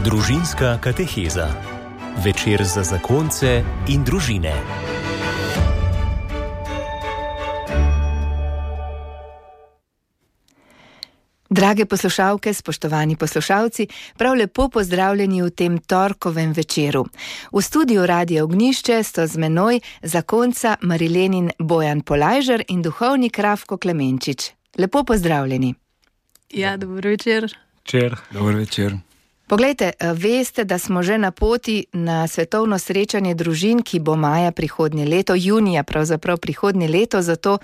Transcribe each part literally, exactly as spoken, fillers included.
Družinska kateheza. Večer za zakonce in družine. Drage poslušalke, spoštovani poslušalci, prav lepo pozdravljeni v tem torkovem večeru. V studiu Radia Ognjišče sta z menoj zakonca Marilenin Bojan Polajžer in duhovnik Rafko Klemenčič. Lepo pozdravljeni. Ja, dobro večer. Večer. Dobro večer. Poglejte, veste, da smo že na poti na svetovno srečanje družin, ki bo maja prihodnje leto, junija pravzaprav prihodnje leto, zato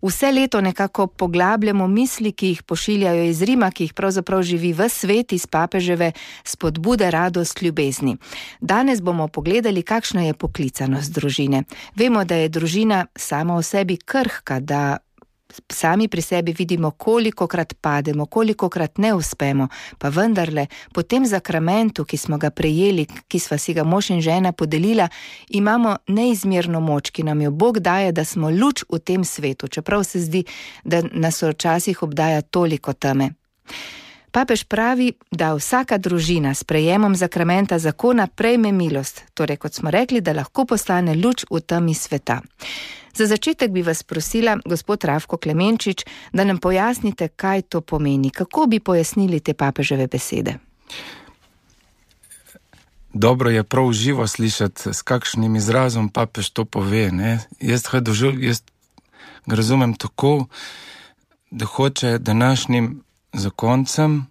vse leto nekako poglabljamo misli, ki jih pošiljajo iz Rima, ki jih pravzaprav živi ves svet iz papeževe spodbude, radost, ljubezni. Danes bomo pogledali, kakšna je poklicanost družine. Vemo, da je družina sama v sebi krhka, da sami pri sebi vidimo, kolikokrat pademo, kolikokrat ne uspemo, pa vendarle po tem zakramentu, ki smo ga prejeli, ki sva si ga mož in žena podelila, imamo neizmerno moč, ki nam jo Bog daje, da smo luč v tem svetu, čeprav se zdi, da nas včasih obdaja toliko teme. Papež pravi, da vsaka družina s prejemom zakramenta zakona prejme milost, torej kot smo rekli, da lahko postane luč v temi sveta. Za začetek bi vas prosila, gospod Rafko Klemenčič, da nam pojasnite, kaj to pomeni. Kako bi pojasnili te papeževe besede? Dobro je prav živo slišati, s kakšnim izrazom papež to pove. Ne? Jaz ga dožil, jaz ga razumem tako, da hoče današnjim zakoncem,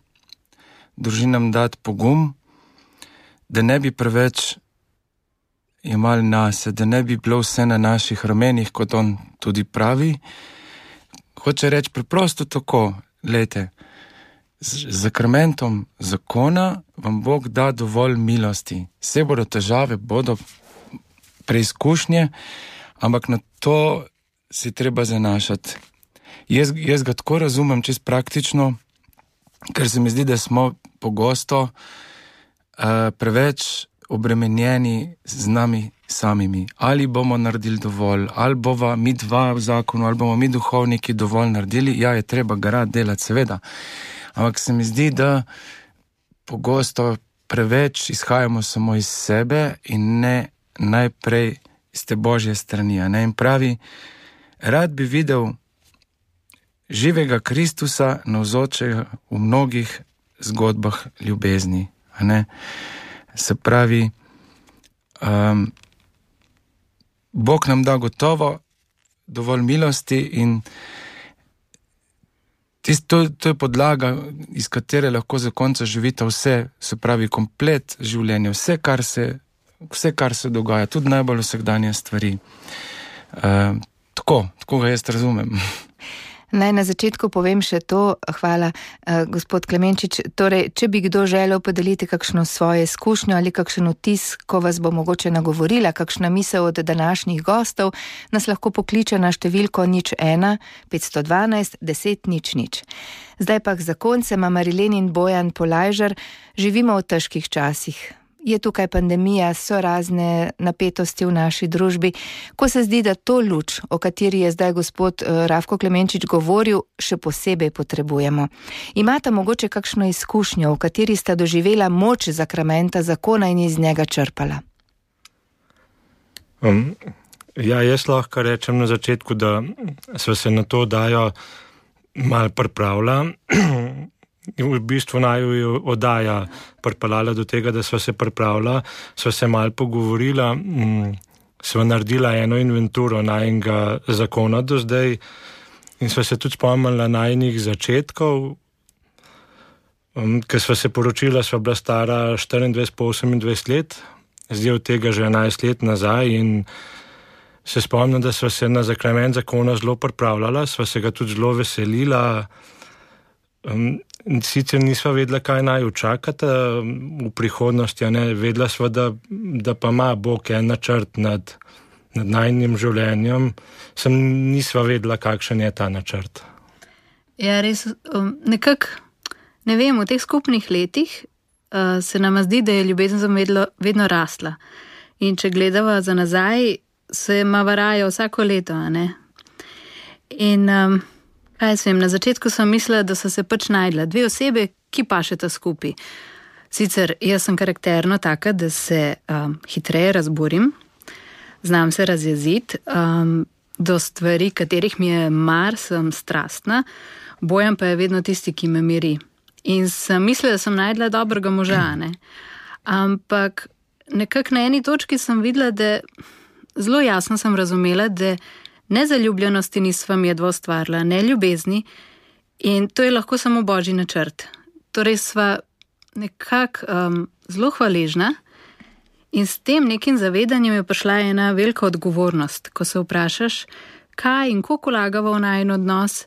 družinam dati pogum, da ne bi preveč jemali nase, da ne bi bilo vse na naših ramenih, kot on tudi pravi. Hoče reči preprosto tako, glejte, z zakramentom zakona vam Bog da dovolj milosti. Vse bodo težave, bodo preizkušnje, ampak na to si treba zanašati. Jaz, jaz ga tako razumem čist praktično, ker se mi zdi, da smo pogosto uh, preveč obremenjeni z nami samimi. Ali bomo naredili dovolj, ali bova mi dva v zakonu, ali bomo mi duhovniki dovolj naredili. Ja, je treba ga rad delati, seveda. Ampak se mi zdi, da pogosto preveč izhajamo samo iz sebe in ne najprej iz te Božje strani. Ne? In pravi, rad bi videl živega Kristusa navzočega v mnogih zgodbah ljubezni. Ne? Se pravi, um, Bog nam da gotovo dovolj milosti in tist, to, to je podlaga, iz katere lahko zakonca živita vse, se pravi komplet življenja, vse, kar se, vse, kar se dogaja, tudi najbolj vsakdanje stvari. Uh, tako, tako ga jaz razumem. Naj na začetku povem še to, hvala uh, gospod Klemenčič, torej, če bi kdo želel podeliti kakšno svoje izkušnjo ali kakšen vtis, ko vas bo mogoče nagovorila, kakšna misel od današnjih gostov, nas lahko pokliče na številko nič ena petsto dvanajst deset nič nič. Zdaj pa k zakoncema Marilenin Bojan Polajžer, živimo v težkih časih. Je tukaj pandemija, so razne napetosti v naši družbi, ko se zdi, da to luč, o kateri je zdaj gospod Rafko Klemenčič govoril, še posebej potrebujemo. Imate mogoče kakšno izkušnjo, v kateri sta doživela moč zakramenta zakona in iz njega črpala? Um, ja, jaz lahko rečem na začetku, da sva se na to dajo malo pripravila. V bistvu naj jo oddaja pripeljala do tega, da sva se pripravila, sva se malo pogovorila, sva naredila eno inventuro najnega zakona do zdaj in sva se tudi spomnila najnih začetkov, ker sva se poročila, sva bila stara štiriindvajset pa osemindvajset let, zdaj od tega že enajst let nazaj in se spomnim, da sva se na zakrament zakona zelo pripravljala, sva se ga tudi zelo veselila. Sicer nisva vedela, kaj naj očakata v prihodnosti, ne? Vedela sva, da, da pa ima Bog en načrt nad, nad najnim življenjem, sem nisva vedela, kakšen je ta načrt. Ja, res, nekako, ne vem, v teh skupnih letih uh, se nama zdi, da je ljubezen vedno, vedno rasla. In če gledava za nazaj, se ima varaja vsako leto, a ne? In um, kaj jaz vem, na začetku sem mislila, da so se pač najdla dve osebe, ki pašeta skupaj. Sicer jaz sem karakterno taka, da se um, hitreje razburim, znam se razjeziti, um, do stvari, katerih mi je mar, sem strastna, Bojan pa je vedno tisti, ki me miri. In sem mislila, da sem najdla dobrega moža, ne. Ampak nekako na eni točki sem videla, da zelo jasno sem razumela, da nezaljubljenosti nisva midva ustvarila, ne ljubezni, in to je lahko samo božji načrt. Torej sva nekako um, zelo hvaležna in s tem nekim zavedanjem je prišla ena velika odgovornost, ko se vprašaš, kaj in koliko vlagava v najin odnos,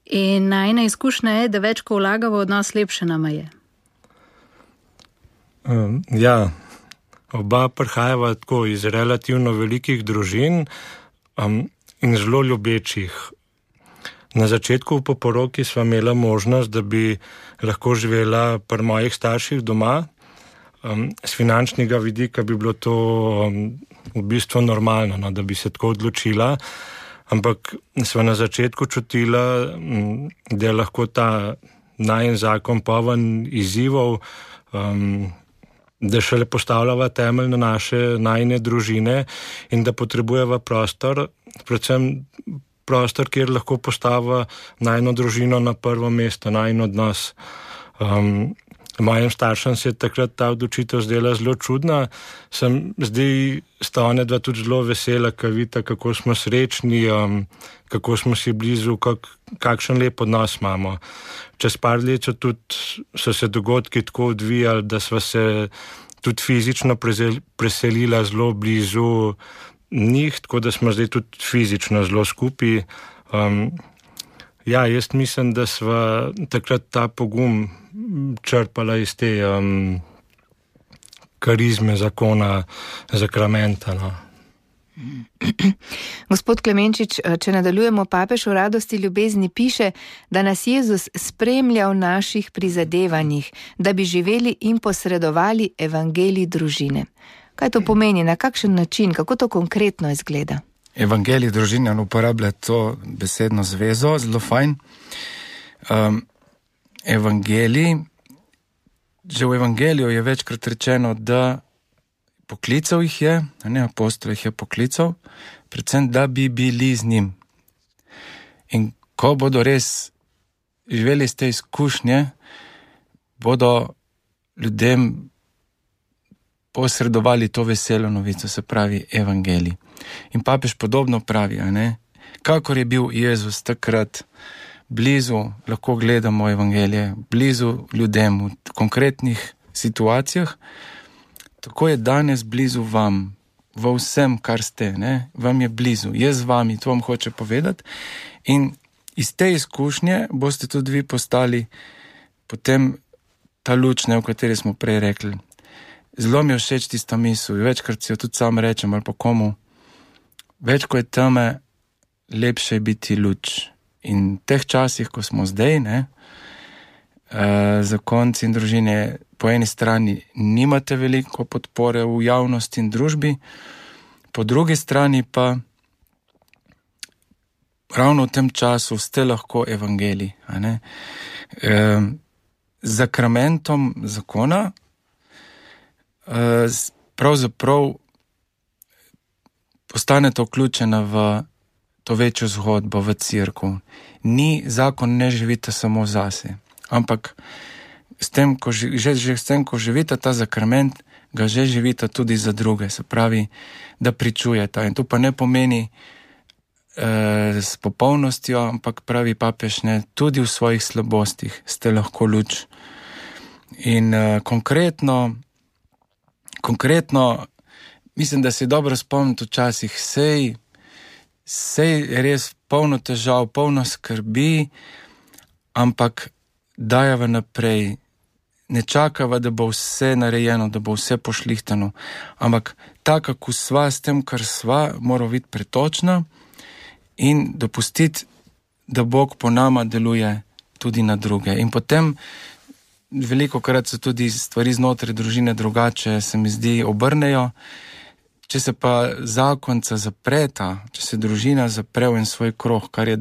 in najina izkušnja je, da več, ko vlagava v odnos, lepše nama je. Um, ja, oba prihajava tako iz relativno velikih družin um, in zelo ljubečih. Na začetku po poroki sva imela možnost, da bi lahko živela pri mojih starših doma. Um, z finančnega vidika bi bilo to um, v bistvu normalno, no, da bi se tako odločila, ampak sva na začetku čutila, um, da je lahko ta najin zakon poln izzivov, um, da šele postavljava temelj na naše najine družine in da potrebujeva prostor, predvsem prostor, kjer lahko postava najino družino na prvo mesto, najin odnos. Um, mojim staršem se je takrat ta odločitev zdela zelo čudna, sem zdaj sta one dva tudi zelo vesela, ko vidita, kako smo srečni, um, kako smo si blizu, kak, kakšen lep odnos imamo. Čez par let so, tudi, so se dogodki tako odvijali, da sva se tudi fizično preselila zelo blizu njih, tako da smo zdaj tudi fizično zelo skupaj. Um, ja, jaz mislim, da sva takrat ta pogum črpala iz te um, karizme zakona, zakramenta. No. Gospod Klemenčič, če nadaljujemo, papež v Radosti ljubezni piše, da nas Jezus spremlja v naših prizadevanjih, da bi živeli in posredovali evangelij družine. Kaj to pomeni, na kakšen način, kako to konkretno izgleda? Evangelij družine uporablja to besedno zvezo, zelo fajn. Um, evangelij, že v evangeliju je večkrat rečeno, da poklical jih je, ne, apostol jih je poklical, predvsem, da bi bili z njim. In ko bodo res živeli iz te izkušnje, bodo ljudem posredovali to veselo novico, se pravi evangelij. In papež podobno pravi, a ne? Kakor je bil Jezus takrat blizu, lahko gledamo evangelije, blizu ljudem v konkretnih situacijah, tako je danes blizu vam, v vsem, kar ste, ne? Vam je blizu, je z vami, to vam hoče povedati. In iz te izkušnje boste tudi vi postali potem ta luč, ne, o kateri smo prej rekli. Zelo mi je všeč tista misel, večkrat si jo tudi sam rečem ali pa komu, več ko je teme, lepše je biti luč. In v teh časih, ko smo zdaj, ne, eh, zakonci in družine, po eni strani nimate veliko podpore v javnosti in družbi, po drugi strani pa ravno v tem času ste lahko evangelij. A ne? E, z zakramentom zakona e, pravzaprav postanete vključena v to večjo zgodbo, v cerkev. Ni zakon, ne živite samo zase, ampak s tem, ko, že, že s tem, ko živite ta zakrament, ga že živite tudi za druge, se pravi, da pričujete. In to pa ne pomeni eh, s popolnostjo, ampak pravi papež, ne, tudi v svojih slabostih ste lahko luč. In eh, konkretno, konkretno, mislim, da se dobro spomniti včasih, sej, sej res polno težav, polno skrbi, ampak dajava naprej. Ne čakava, da bo vse narejeno, da bo vse pošlihtano, ampak taka, ko sva s tem, kar sva, mora biti pretočna in dopustiti, da Bog po nama deluje tudi na druge. In potem veliko krat so tudi stvari znotraj družine drugače, se mi zdi, obrnejo. Če se pa zakonca zapreta, če se družina zapre v en svoj krog, kar je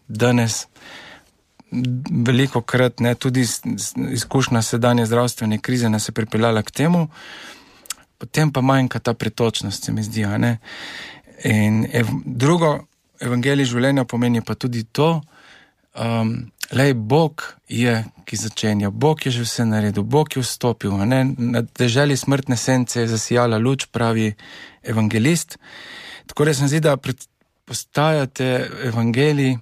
danes veliko krat, ne, tudi izkušnja sedanje zdravstvene krize nas je pripeljala k temu, potem pa manjka ta pretočnost, se mi zdi, a ne. In ev, drugo, evangelij življenja pomeni pa tudi to, um, lej, Bog je, ki začenja, Bog je že vse naredil, Bog je vstopil, a ne, na deželi smrtne sence je zasijala luč, pravi evangelist. Tako da se mi zdi, da postajate evangelij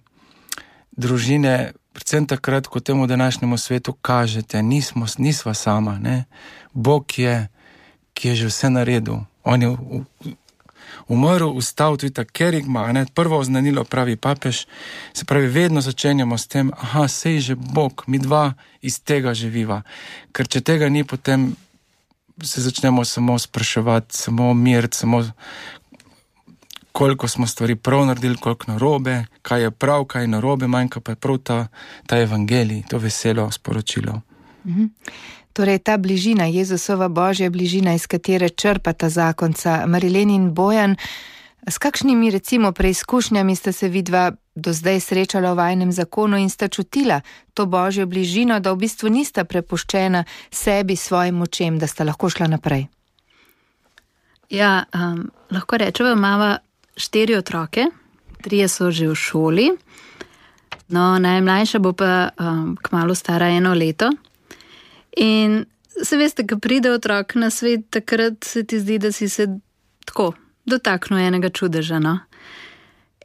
družine, predvsem takrat, ko temu današnjemu svetu kažete, nismo, nisva sama, ne. Bog je, ki je že vse naredil. On je umrl, vstal, tudi ta kerigma, ne, prvo oznanilo, pravi papež, se pravi, vedno začenjamo s tem, aha, sej že Bog, mi dva iz tega živiva. Ker če tega ni, potem se začnemo samo spraševati, samo miriti, samo koliko smo stvari prav naredili, koliko narobe, kaj je prav, kaj je narobe, manjka pa je prav ta, ta evangelij, to veselo sporočilo. Mhm. Torej, ta bližina, Jezusova božja bližina, iz katere črpata zakonca Marilén in Bojan, s kakšnimi recimo preizkušnjami sta se vidva do zdaj srečala v vajinem zakonu in sta čutila to božjo bližino, da v bistvu nista prepuščena sebi, svojim močem, da sta lahko šla naprej? Ja, um, lahko rečeva, imava štiri otroke, trije so že v šoli, no, najmlajša bo pa um, kmalu stara eno leto. In se veste, ko pride otrok na svet, takrat se ti zdi, da si se tako dotaknil enega čudeža, no.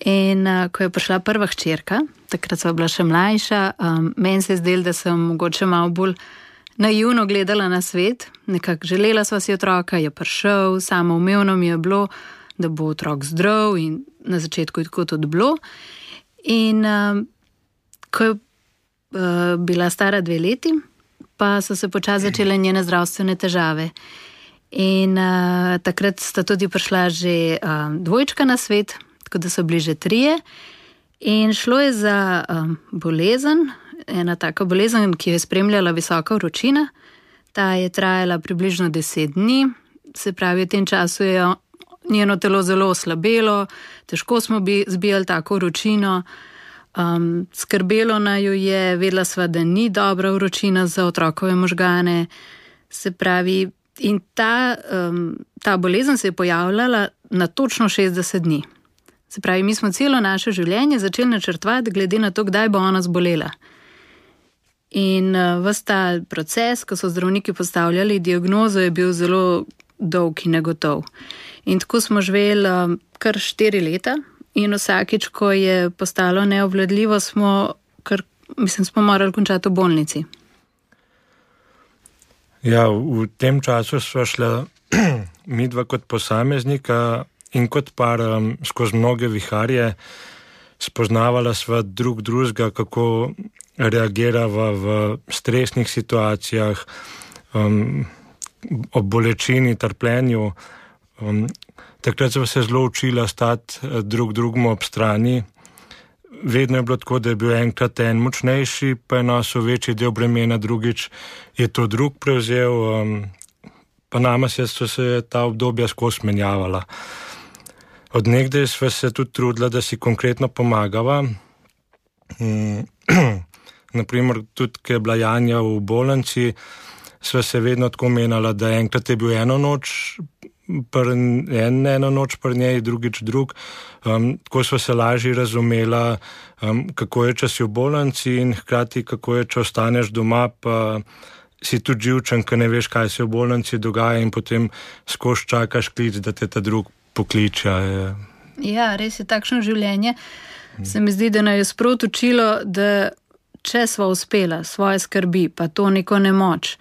In uh, ko je prišla prva hčerka, takrat sva bila še mlajša, um, meni se je zdelo, da sem mogoče malo bolj naivno gledala na svet, nekako želela sva si otroka, je prišel, samoumevno mi je bilo, da bo otrok zdrav in na začetku je tako tudi bilo. In um, ko je uh, bila stara dve leti, pa so se počasi začele njene zdravstvene težave. In uh, takrat sta tudi prišla že uh, dvojčka na svet, tako da so bili že trije. In šlo je za um, bolezen, ena taka bolezen, ki jo je spremljala visoka vročina. Ta je trajala približno deset dni, se pravi, v tem času je njeno telo zelo oslabelo, težko smo bi zbijali tako vročino. Um, skrbelo naju je, vedela sva, da ni dobra vročina za otrokove možgane, se pravi, in ta, um, ta bolezen se je pojavljala na točno šestdeset dni. Se pravi, mi smo celo naše življenje začeli načrtovati glede na to, kdaj bo ona zbolela. In uh, ves ta proces, ko so zdravniki postavljali diagnozo, je bil zelo dolg in negotov. In tako smo živeli um, kar štiri leta. In vsakič, ko je postalo neobvladljivo, smo, kar, mislim, smo morali končati v bolnici. Ja, v tem času sva šla midva kot posameznika in kot par um, skozi mnoge viharje, spoznavala sva drug drugega, kako reagirava v stresnih situacijah, um, ob bolečini, trpljenju. Um, Takrat smo se zelo učila stati drug drugemu ob strani. Vedno je bilo tako, da je bil enkrat en močnejši, pa je nosil večji del bremena, drugič je to drug prevzel, um, pa nama se so se ta obdobja skozi menjavala. Od nekdaj sva se tudi trudila, da si konkretno pomagava. Um, naprimer, tudi, ko je bila Janja v bolnici, sva se vedno tako menjala, da enkrat je bil eno noč, Pr, en, eno noč pri njej, drugič drug. Um, tako so se lažje razumela, um, kako je, če si v bolnici in hkrati, kako je, če ostaneš doma, pa si tudi živčen, ker ne veš, kaj se v bolnici dogaja in potem skozi čakaš klic, da te ta drug pokliče. Ja, res je takšno življenje. Se mi zdi, da nas je sprot učilo, da če sva uspela svoje skrbi, pa to neko nemoč,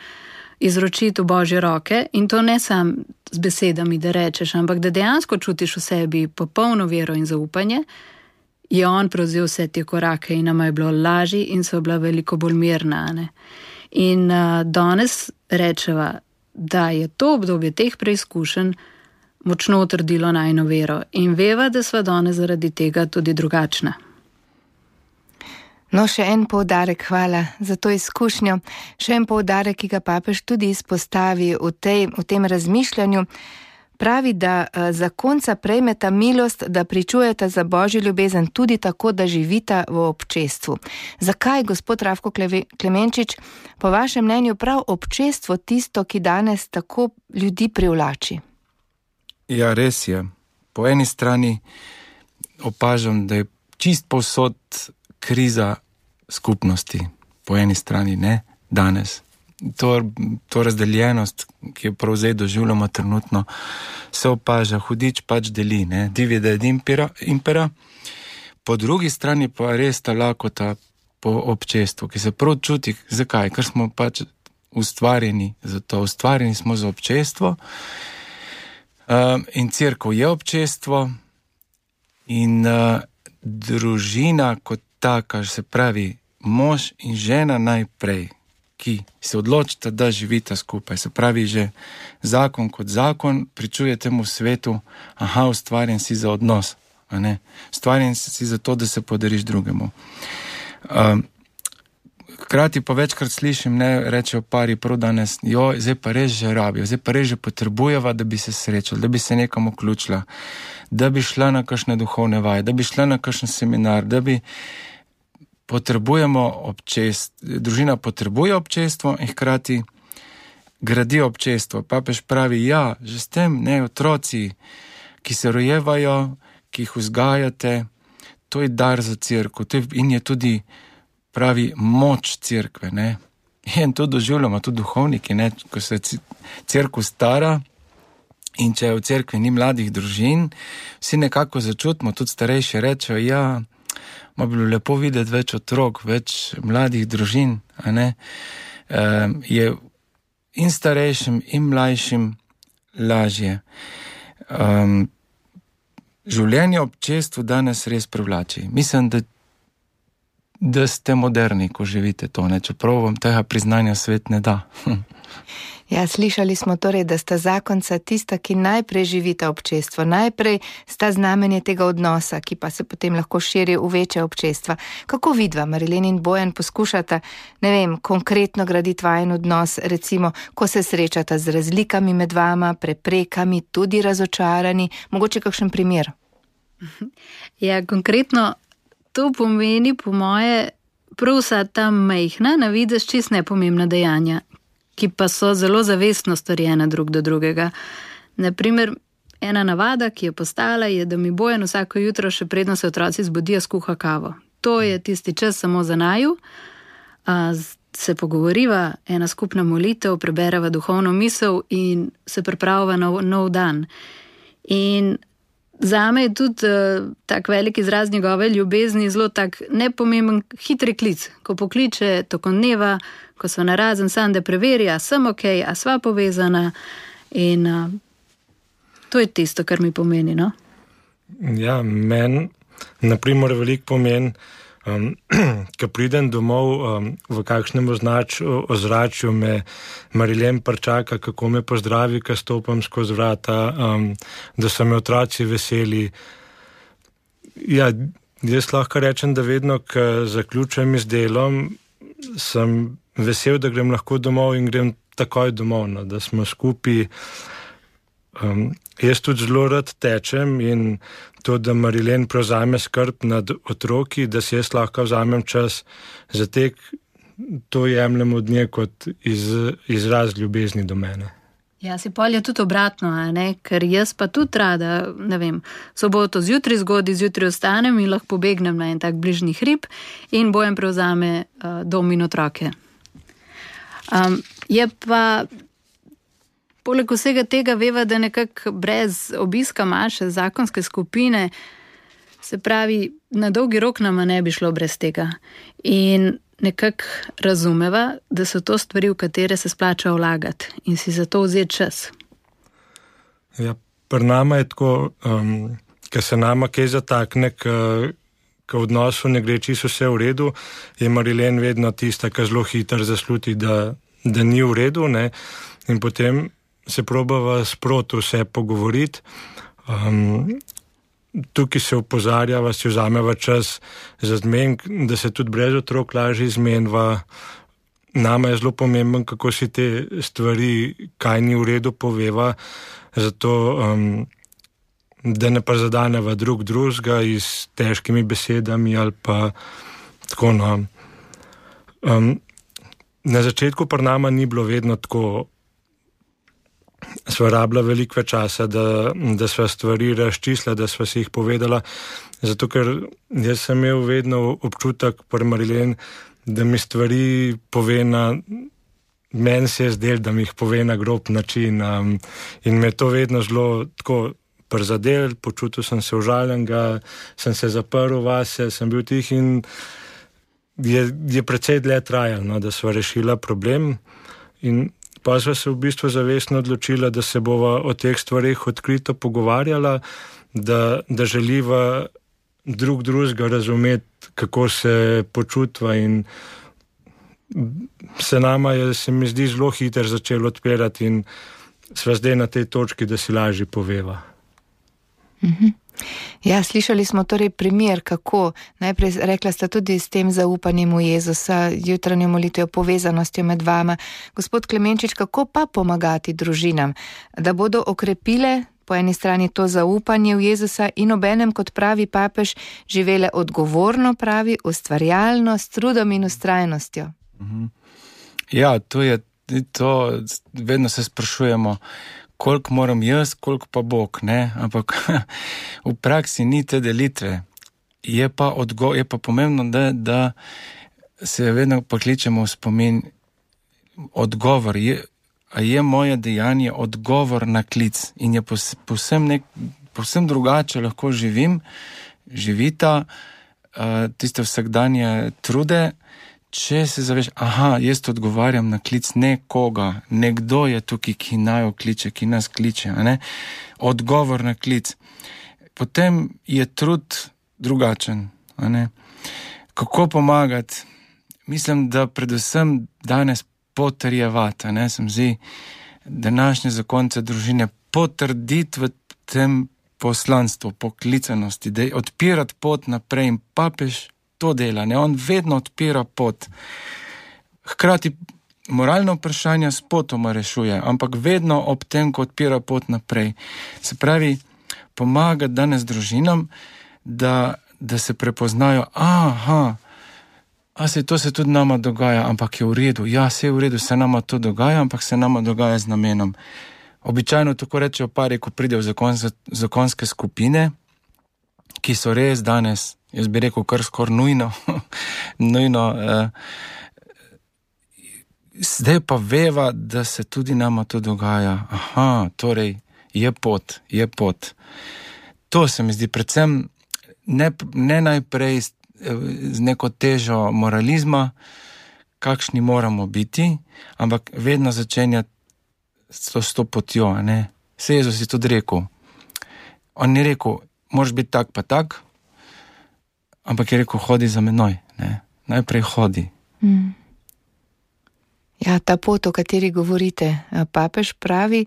izročiti v Božje roke, in to ne sam z besedami, da rečeš, ampak da dejansko čutiš v sebi popolno vero in zaupanje, je on prevzel vse te korake in nama je bilo lažje in so bila veliko bolj mirna. Ne? In uh, danes rečeva, da je to obdobje teh preizkušenj močno utrdilo najino vero in veva, da sva danes zaradi tega tudi drugačna. No, še en poudarek, hvala za to izkušnjo. Še en poudarek, ki ga papež tudi izpostavi v, tej, v tem razmišljanju, pravi, da zakonca prejmeta milost, da pričujeta za Božjo ljubezen tudi tako, da živita v občestvu. Zakaj, gospod Rafko Klemenčič, po vašem mnenju prav občestvo tisto, ki danes tako ljudi privlači? Ja, res je. Po eni strani opažam, da je čist povsod kriza skupnosti. Po eni strani, ne, danes. To, to razdeljenost, ki jo prav zdaj doživljamo trenutno, se opaža, hudič pač deli, ne, divide ed impera, impera. Po drugi strani pa res ta lakota po občestvu, ki se prav čuti, zakaj, ker smo pač ustvarjeni za to, ustvarjeni smo za občestvo, um, in cerkev je občestvo, in uh, družina kot taka, se pravi mož in žena najprej, ki se odločita, da živita skupaj. Se pravi, že zakon kot zakon pričuje temu svetu, aha, ustvarjen si za odnos, a ne? Ustvarjen si za to, da se podariš drugemu. Um, hkrati pa večkrat slišim, ne, rečejo pari prav danes, jo, zdaj pa res že rabijo, zdaj pa res že potrebujeva, da bi se srečali, da bi se nekam vključila, da bi šla na kakšne duhovne vaje, da bi šla na kakšen seminar, da bi potrebujemo občestvo, družina potrebuje občestvo in hkrati gradi občestvo. Papež pravi, ja, že s tem, ne, otroci, ki se rojevajo, ki jih vzgajate, to je dar za cerkev, to je, in je tudi, pravi, moč cerkve, ne. In to doživljamo tudi duhovniki, ne, ko se cerkev stara in če v cerkvi ni mladih družin, vsi nekako začutimo, tudi starejši rečejo, ja, ma bilo lepo videti več otrok, več mladih družin, a ne, e, je in starejšim in mlajšim lažje. Um, življenje v občestvu danes res privlači. Mislim, da, da ste moderni, ko živite to, ne, čeprav vam tega priznanja svet ne da. Ja, slišali smo torej, da sta zakonca tista, ki najprej živita občestvo, najprej sta znamenje tega odnosa, ki pa se potem lahko širi v večje občestva. Kako vidva, Marilén in Bojan, poskušata, ne vem, konkretno graditi vajen odnos, recimo, ko se srečata z razlikami med vama, preprekami, tudi razočarani, mogoče kakšen primer? Ja, konkretno to pomeni, po moje, prav vsa ta majhna, na videz čist nepomembna dejanja, ki pa so zelo zavestno storjena drug do drugega. Naprimer, ena navada, ki je postala, je, da mi Bojan vsako jutro, še predno se otroci zbudijo, skuha kavo. To je tisti čas samo za naju, a, se pogovoriva, ena skupna molitev, prebereva duhovno misel in se pripravava na nov dan. In zame je tudi uh, tak velik izraz njegove ljubezni zelo tak nepomemben hitri klic, ko pokliče tokom dneva, ko so narazen sam, da preveri, a sem ok, a sva povezana in uh, to je tisto, kar mi pomeni, no? Ja, meni, naprimer, velik pomen, um, ko pridem domov um, v kakšnem označ, ozračju, me Marilén pričaka, kako me pozdravi, ko stopam skozi vrata, um, da so me otroci veseli. Ja, jaz lahko rečem, da vedno, ko zaključujem z delom, sem vesel, da grem lahko domov in grem takoj domov, no, da smo skupaj. Um, jaz tudi zelo rad tečem in to, da Marilén prevzame skrb nad otroki, da si jaz lahko vzamem čas za tek, to jemljem od nje kot iz, izraz ljubezni do mene. Ja, si pol je tudi obratno, a ne? Ker jaz pa tudi rada, ne vem, soboto zjutraj zgodaj, zjutraj ostanem in lahko pobegnem na en tak bližnji hrib in Bojan prevzame uh, dom in otroke. Um, je pa poleg vsega tega veva, da nekako brez obiska manjše zakonske skupine, se pravi, na dolgi rok nama ne bi šlo brez tega. In nekako razumeva, da so to stvari, v katere se splača vlagati in si za to vzeti čas. Ja, pri nama je tako, um, ker se nama kaj zatakne, ker v odnosu ne gre čisto vse v redu, je Marilén vedno tista, ki zelo hitro zasluti, da, da ni v redu, ne, in potem se probava sproti vse pogovoriti. Um, tukaj se opozarjava, si vzameva čas za zmen, da se tudi brez otrok lažje izmenva. Nama je zelo pomemben, kako si te stvari, kaj ni v redu, poveva. zato um, da ne prizadeneva drug drugega s težkimi besedami ali pa tako. No. Um, na začetku pri nama ni bilo vedno tako, sva rabila veliko več časa, da, da sva stvari razčistila, da sva si jih povedala, zato ker jaz sem imel vedno občutek pri Marilen, da mi stvari pove na, meni se je zdel, da mi jih pove na grob način, um, in me to vedno zelo tako prizadel, počutil sem se užaljenega, sem se zaprl vase, sem bil tih in je, je precej dlje trajalo, no, da sva rešila problem in pa sva se v bistvu zavestno odločila, da se bova o teh stvarih odkrito pogovarjala, da, da želiva drug drugega razumeti, kako se počutva in se nama je, se mi zdi, zelo hiter začel odpirati in sva zdaj na tej točki, da si lažje poveva. Mhm. Ja, slišali smo torej primer, kako najprej rekla sta tudi s tem zaupanjem v Jezusa, jutranjo molitvijo, povezanostjo med vama. Gospod Klemenčič, kako pa pomagati družinam, da bodo okrepile po eni strani to zaupanje v Jezusa in obenem, kot pravi papež, živele odgovorno, pravi, ustvarjalno, s trudom in ustrajnostjo? Ja, to je to, vedno se sprašujemo, koliko moram jaz, koliko pa Bog, ne? Ampak v praksi ni te delitve. Je pa, odgo- je pa pomembno, da, da se vedno pokličemo v spomin odgovor. Je, a je moje dejanje odgovor na klic in je pos, posem, nek, posem drugače lahko živim, živita uh, tiste vsakdanje trude, če se zaveš, aha, jaz odgovarjam na klic nekoga, nekdo je tukaj, ki naj kliče, ki nas kliče, a ne? Odgovor na klic. Potem je trud drugačen, a ne? Kako pomagati? Mislim, da predvsem danes potrjevati, a ne? Sem zdi, današnje zakonce družine potrditi v tem poslanstvu, poklicanosti, da je odpirati pot naprej in papež to dela, ne, on vedno odpira pot. Hkrati moralno vprašanje s potoma rešuje, ampak vedno ob tem, ko odpira pot naprej. Se pravi, pomaga danes družinam, da, da se prepoznajo, aha, a se to se tudi nama dogaja, ampak je v redu. Ja, se je v redu, se nama to dogaja, ampak se nama dogaja z namenom. Običajno tako rečejo pari, ko pridejo v zakon, zakonske skupine, ki so res danes, jaz bi rekel, kar skor nujno, nujno. Eh, zdaj pa veva, da se tudi nama to dogaja. Aha, torej je pot, je pot. To se mi zdi predvsem ne, ne najprej z, z neko težo moralizma, kakšni moramo biti, ampak vedno začenjati s to, s to potjo. Ne? Se Jezus je tudi rekel. On ni rekel, moraš biti tak pa tak, ampak je rekel, hodi za menoj. Ne? Najprej hodi. Mm. Ja, ta pot, o kateri govorite, papež pravi,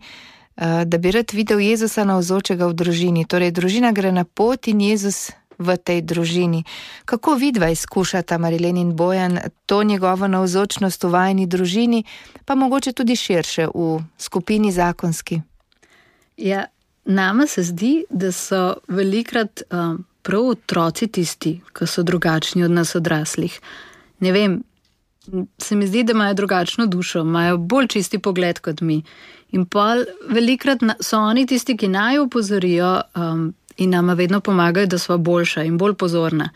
da bi rad videl Jezusa navzočega v družini. Torej, družina gre na pot in Jezus v tej družini. Kako vidva izkušata, Marilen in Bojan, to njegovo navzočnost v vajini družini, pa mogoče tudi širše v skupini zakonski? Ja, nama se zdi, da so velikrat um, prav otroci tisti, ki so drugačni od nas odraslih. Ne vem, se mi zdi, da imajo drugačno dušo, imajo bolj čisti pogled kot mi. In pol velikrat so oni tisti, ki naj opozorijo um, in nama vedno pomagajo, da sva boljša in bolj pozorna.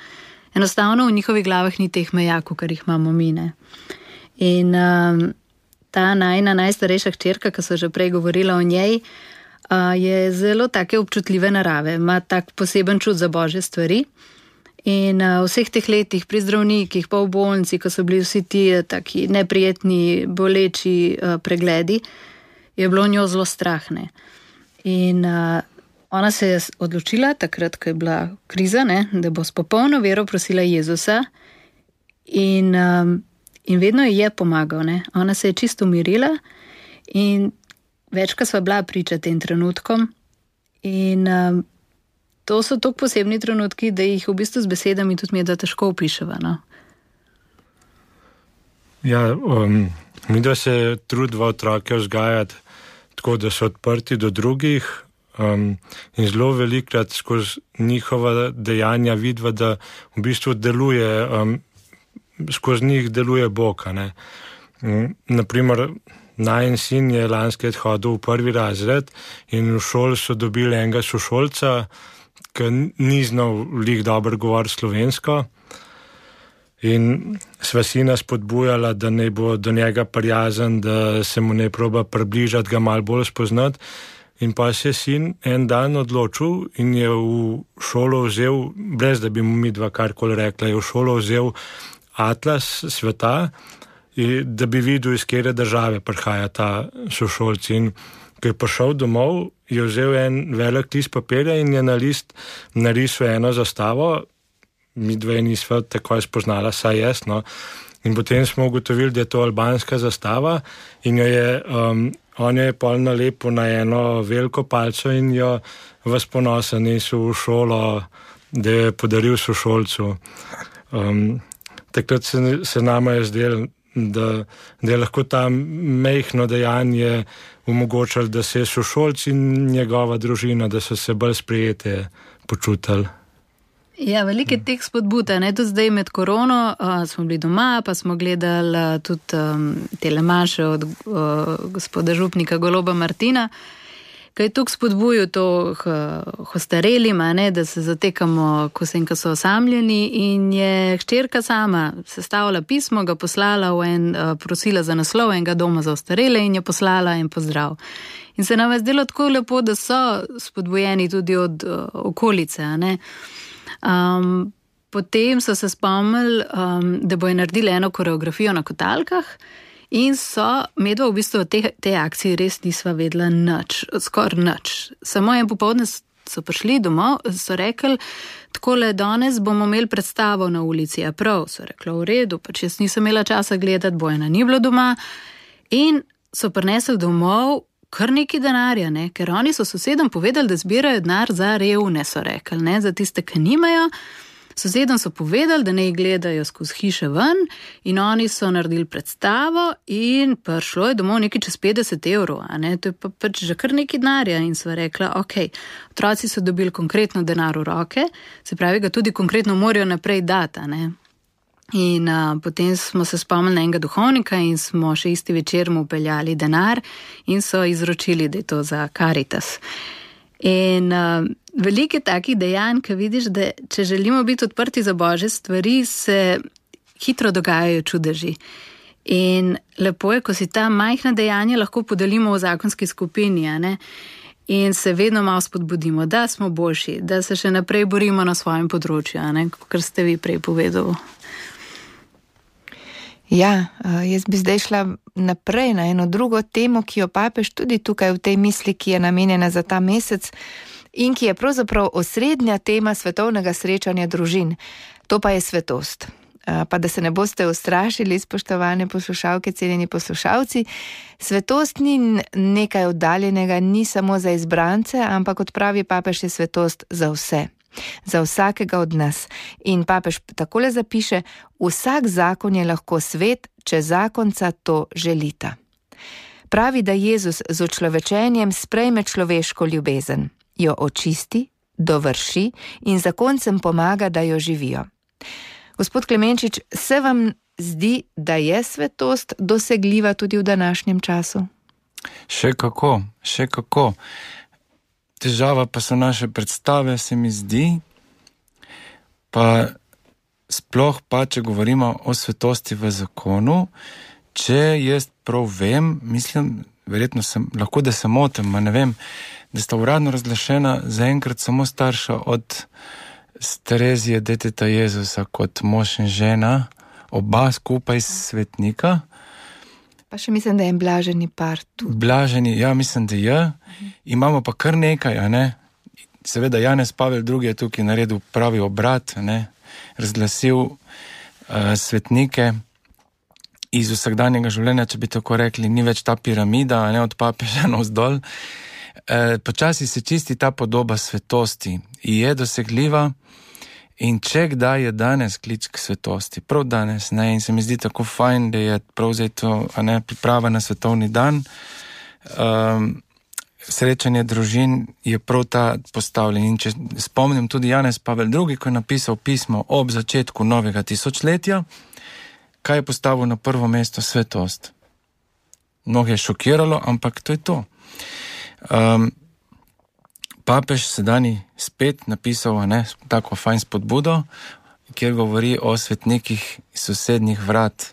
Enostavno v njihovih glavah ni teh meja, kar jih imamo mi, ne. In um, ta najna najstarejša hčerka, ki so že prej govorila o njej, uh, je zelo take občutljive narave, ima tak poseben čut za božje stvari. In uh, v vseh teh letih pri zdravnikih, pa v bolnici, ko so bili vsi ti taki neprijetni, boleči uh, pregledi, je bilo njo zelo strahne. In uh, ona se je odločila, takrat, ko je bila kriza, ne, da bo s popolno vero prosila Jezusa in, um, in vedno ji je pomagal. Ne. Ona se je čisto umirila in večkrat sva bila priča tem trenutkom in um, to so tako posebni trenutki, da jih v bistvu z besedami tudi mi je da težko opiševa. No? Ja, um, mi da se trudva otroke vzgajati tako da so odprti do drugih um, in zelo velikrat skozi njihova dejanja vidva, da v bistvu deluje, um, skozi njih deluje Bog. Ne? Um, naprimer, najin sin je lanski let hodil v prvi razred in v šoli so dobili enega sošolca, ki ni znal lih dobro govoriti slovensko. In sva sina spodbujala, da ne bo do njega prijazen, da se mu ne proba približati, ga malo bolj spoznati. In pa se je sin en dan odločil in je v šolo vzel, brez da bi mu mi dva karkoli rekla, je v šolo vzel atlas sveta, da bi videl, iz kere države prihaja ta sošolci. In ko je prišel domov, je vzel en velik list papirja in je na list narisal eno zastavo. Mi dve nisva takoj spoznala, saj jaz, no. In potem smo ugotovili, da je to albanska zastava in jo je, um, on jo je pol nalepil na eno veliko palco in jo vas ponosa nesel v šolo, da je podaril sošolcu. Um, takrat se, se nama je zdel, da, da je lahko ta mehno dejanje omogočalo, da se je sošolc in njegova družina, da so se bolj sprejete počutili. Ja, veliko je teh spodbud, ne, tudi zdaj med korono uh, smo bili doma, pa smo gledali uh, tudi um, telemaše od uh, gospoda župnika Goloba Martina, ki je tukaj spodbujil to uh, ostarelima, ne, da se zatekamo, ko se in ko so osamljeni, in je hčerka sama sestavila pismo, ga poslala v en, uh, prosila za naslov enega doma za ostarele in je poslala en pozdrav. In se nam je zdelo tako lepo, da so spodbujeni tudi od uh, okolice, ne. Um, potem so se spomnili, um, da bojo naredili eno koreografijo na kotalkah in so medva v bistvu te, te akcije res nisva vedela nič, skoraj nič. Samo en popoldne so prišli domov, so rekli, takole danes bomo imeli predstavo na ulici, a prav, so rekli, v redu, pač jaz nisem imela časa gledati, Bojana ni bilo doma in so prinesli domov kar neki denarja, ne? Ker oni so sosedom povedali, da zbirajo denar za revne, so rekli, ne? Za tiste, ki nimajo. Sosedom so povedali, da ne gledajo skozi hiše ven in oni so naredili predstavo in prišlo je domov nekaj čez petdeset evrov, a ne? To je pa pač že kar neki denarja in sva rekla, ok, otroci so dobili konkretno denar v roke, se pravi, ga tudi konkretno morajo naprej dati, a ne? In uh, potem smo se spomnili enega duhovnika in smo še isti večer mu upeljali denar in so izročili, da je to za Karitas. In uh, veliko je takih dejanj, ki vidiš, da če želimo biti odprti za Božje stvari, se hitro dogajajo čudeži. In lepo je, ko si ta majhna dejanja lahko podelimo v zakonski skupini, a ne? In se vedno malo spodbudimo, da smo boljši, da se še naprej borimo na svojem področju, a ne? Kar ste vi prej povedali. Ja, jaz bi zdaj šla naprej na eno drugo temo, ki jo papež tudi tukaj v tej misli, ki je namenjena za ta mesec in ki je pravzaprav osrednja tema svetovnega srečanja družin. To pa je svetost. Pa da se ne boste ustrašili, spoštovane poslušalke, cenjeni poslušalci, svetost ni nekaj oddaljenega, ni samo za izbrance, ampak kot pravi papež, je svetost za vse. Za vsakega od nas. In papež takole zapiše, vsak zakon je lahko svet, če zakonca to želita. Pravi, da Jezus z očlovečenjem sprejme človeško ljubezen, jo očisti, dovrši in zakoncem pomaga, da jo živijo. Gospod Klemenčič, se vam zdi, da je svetost dosegljiva tudi v današnjem času? Še kako, še kako. Težava pa so naše predstave, se mi zdi, pa sploh pa, če govorimo o svetosti v zakonu, če jaz prav vem, mislim, verjetno sem, lahko da se motim, ma ne vem, da sta uradno razglašena zaenkrat samo starša od Terezije, deteta Jezusa, kot mož in žena, oba skupaj svetnika. Pa še mislim, da je blaženi par tu. Blaženi, ja, mislim, da je. Imamo pa kar nekaj, a ne. Seveda Janez Pavel drugi je tukaj naredil pravi obrat, ne. Razglasil uh, svetnike iz vsakdanjega življenja, če bi tako rekli, ni več ta piramida, a ne, od papeža navzdol. Uh, počasi se čisti ta podoba svetosti in je dosegljiva. In če kdaj je danes klic k svetosti, prav danes, ne, in se mi zdi tako fajn, da je prav zdaj to, a ne, priprava na svetovni dan, um, srečanje družin je prav ta postavljen. In če spomnim tudi Janez Pavel drugi, ko je napisal pismo ob začetku novega tisočletja, kaj je postavil na prvo mesto? Svetost. Mnogo je šokiralo, ampak to je to. Um, papež sedani spet napisal, ne, tako fajn spodbudo, kjer govori o svetnikih sosednjih vrat.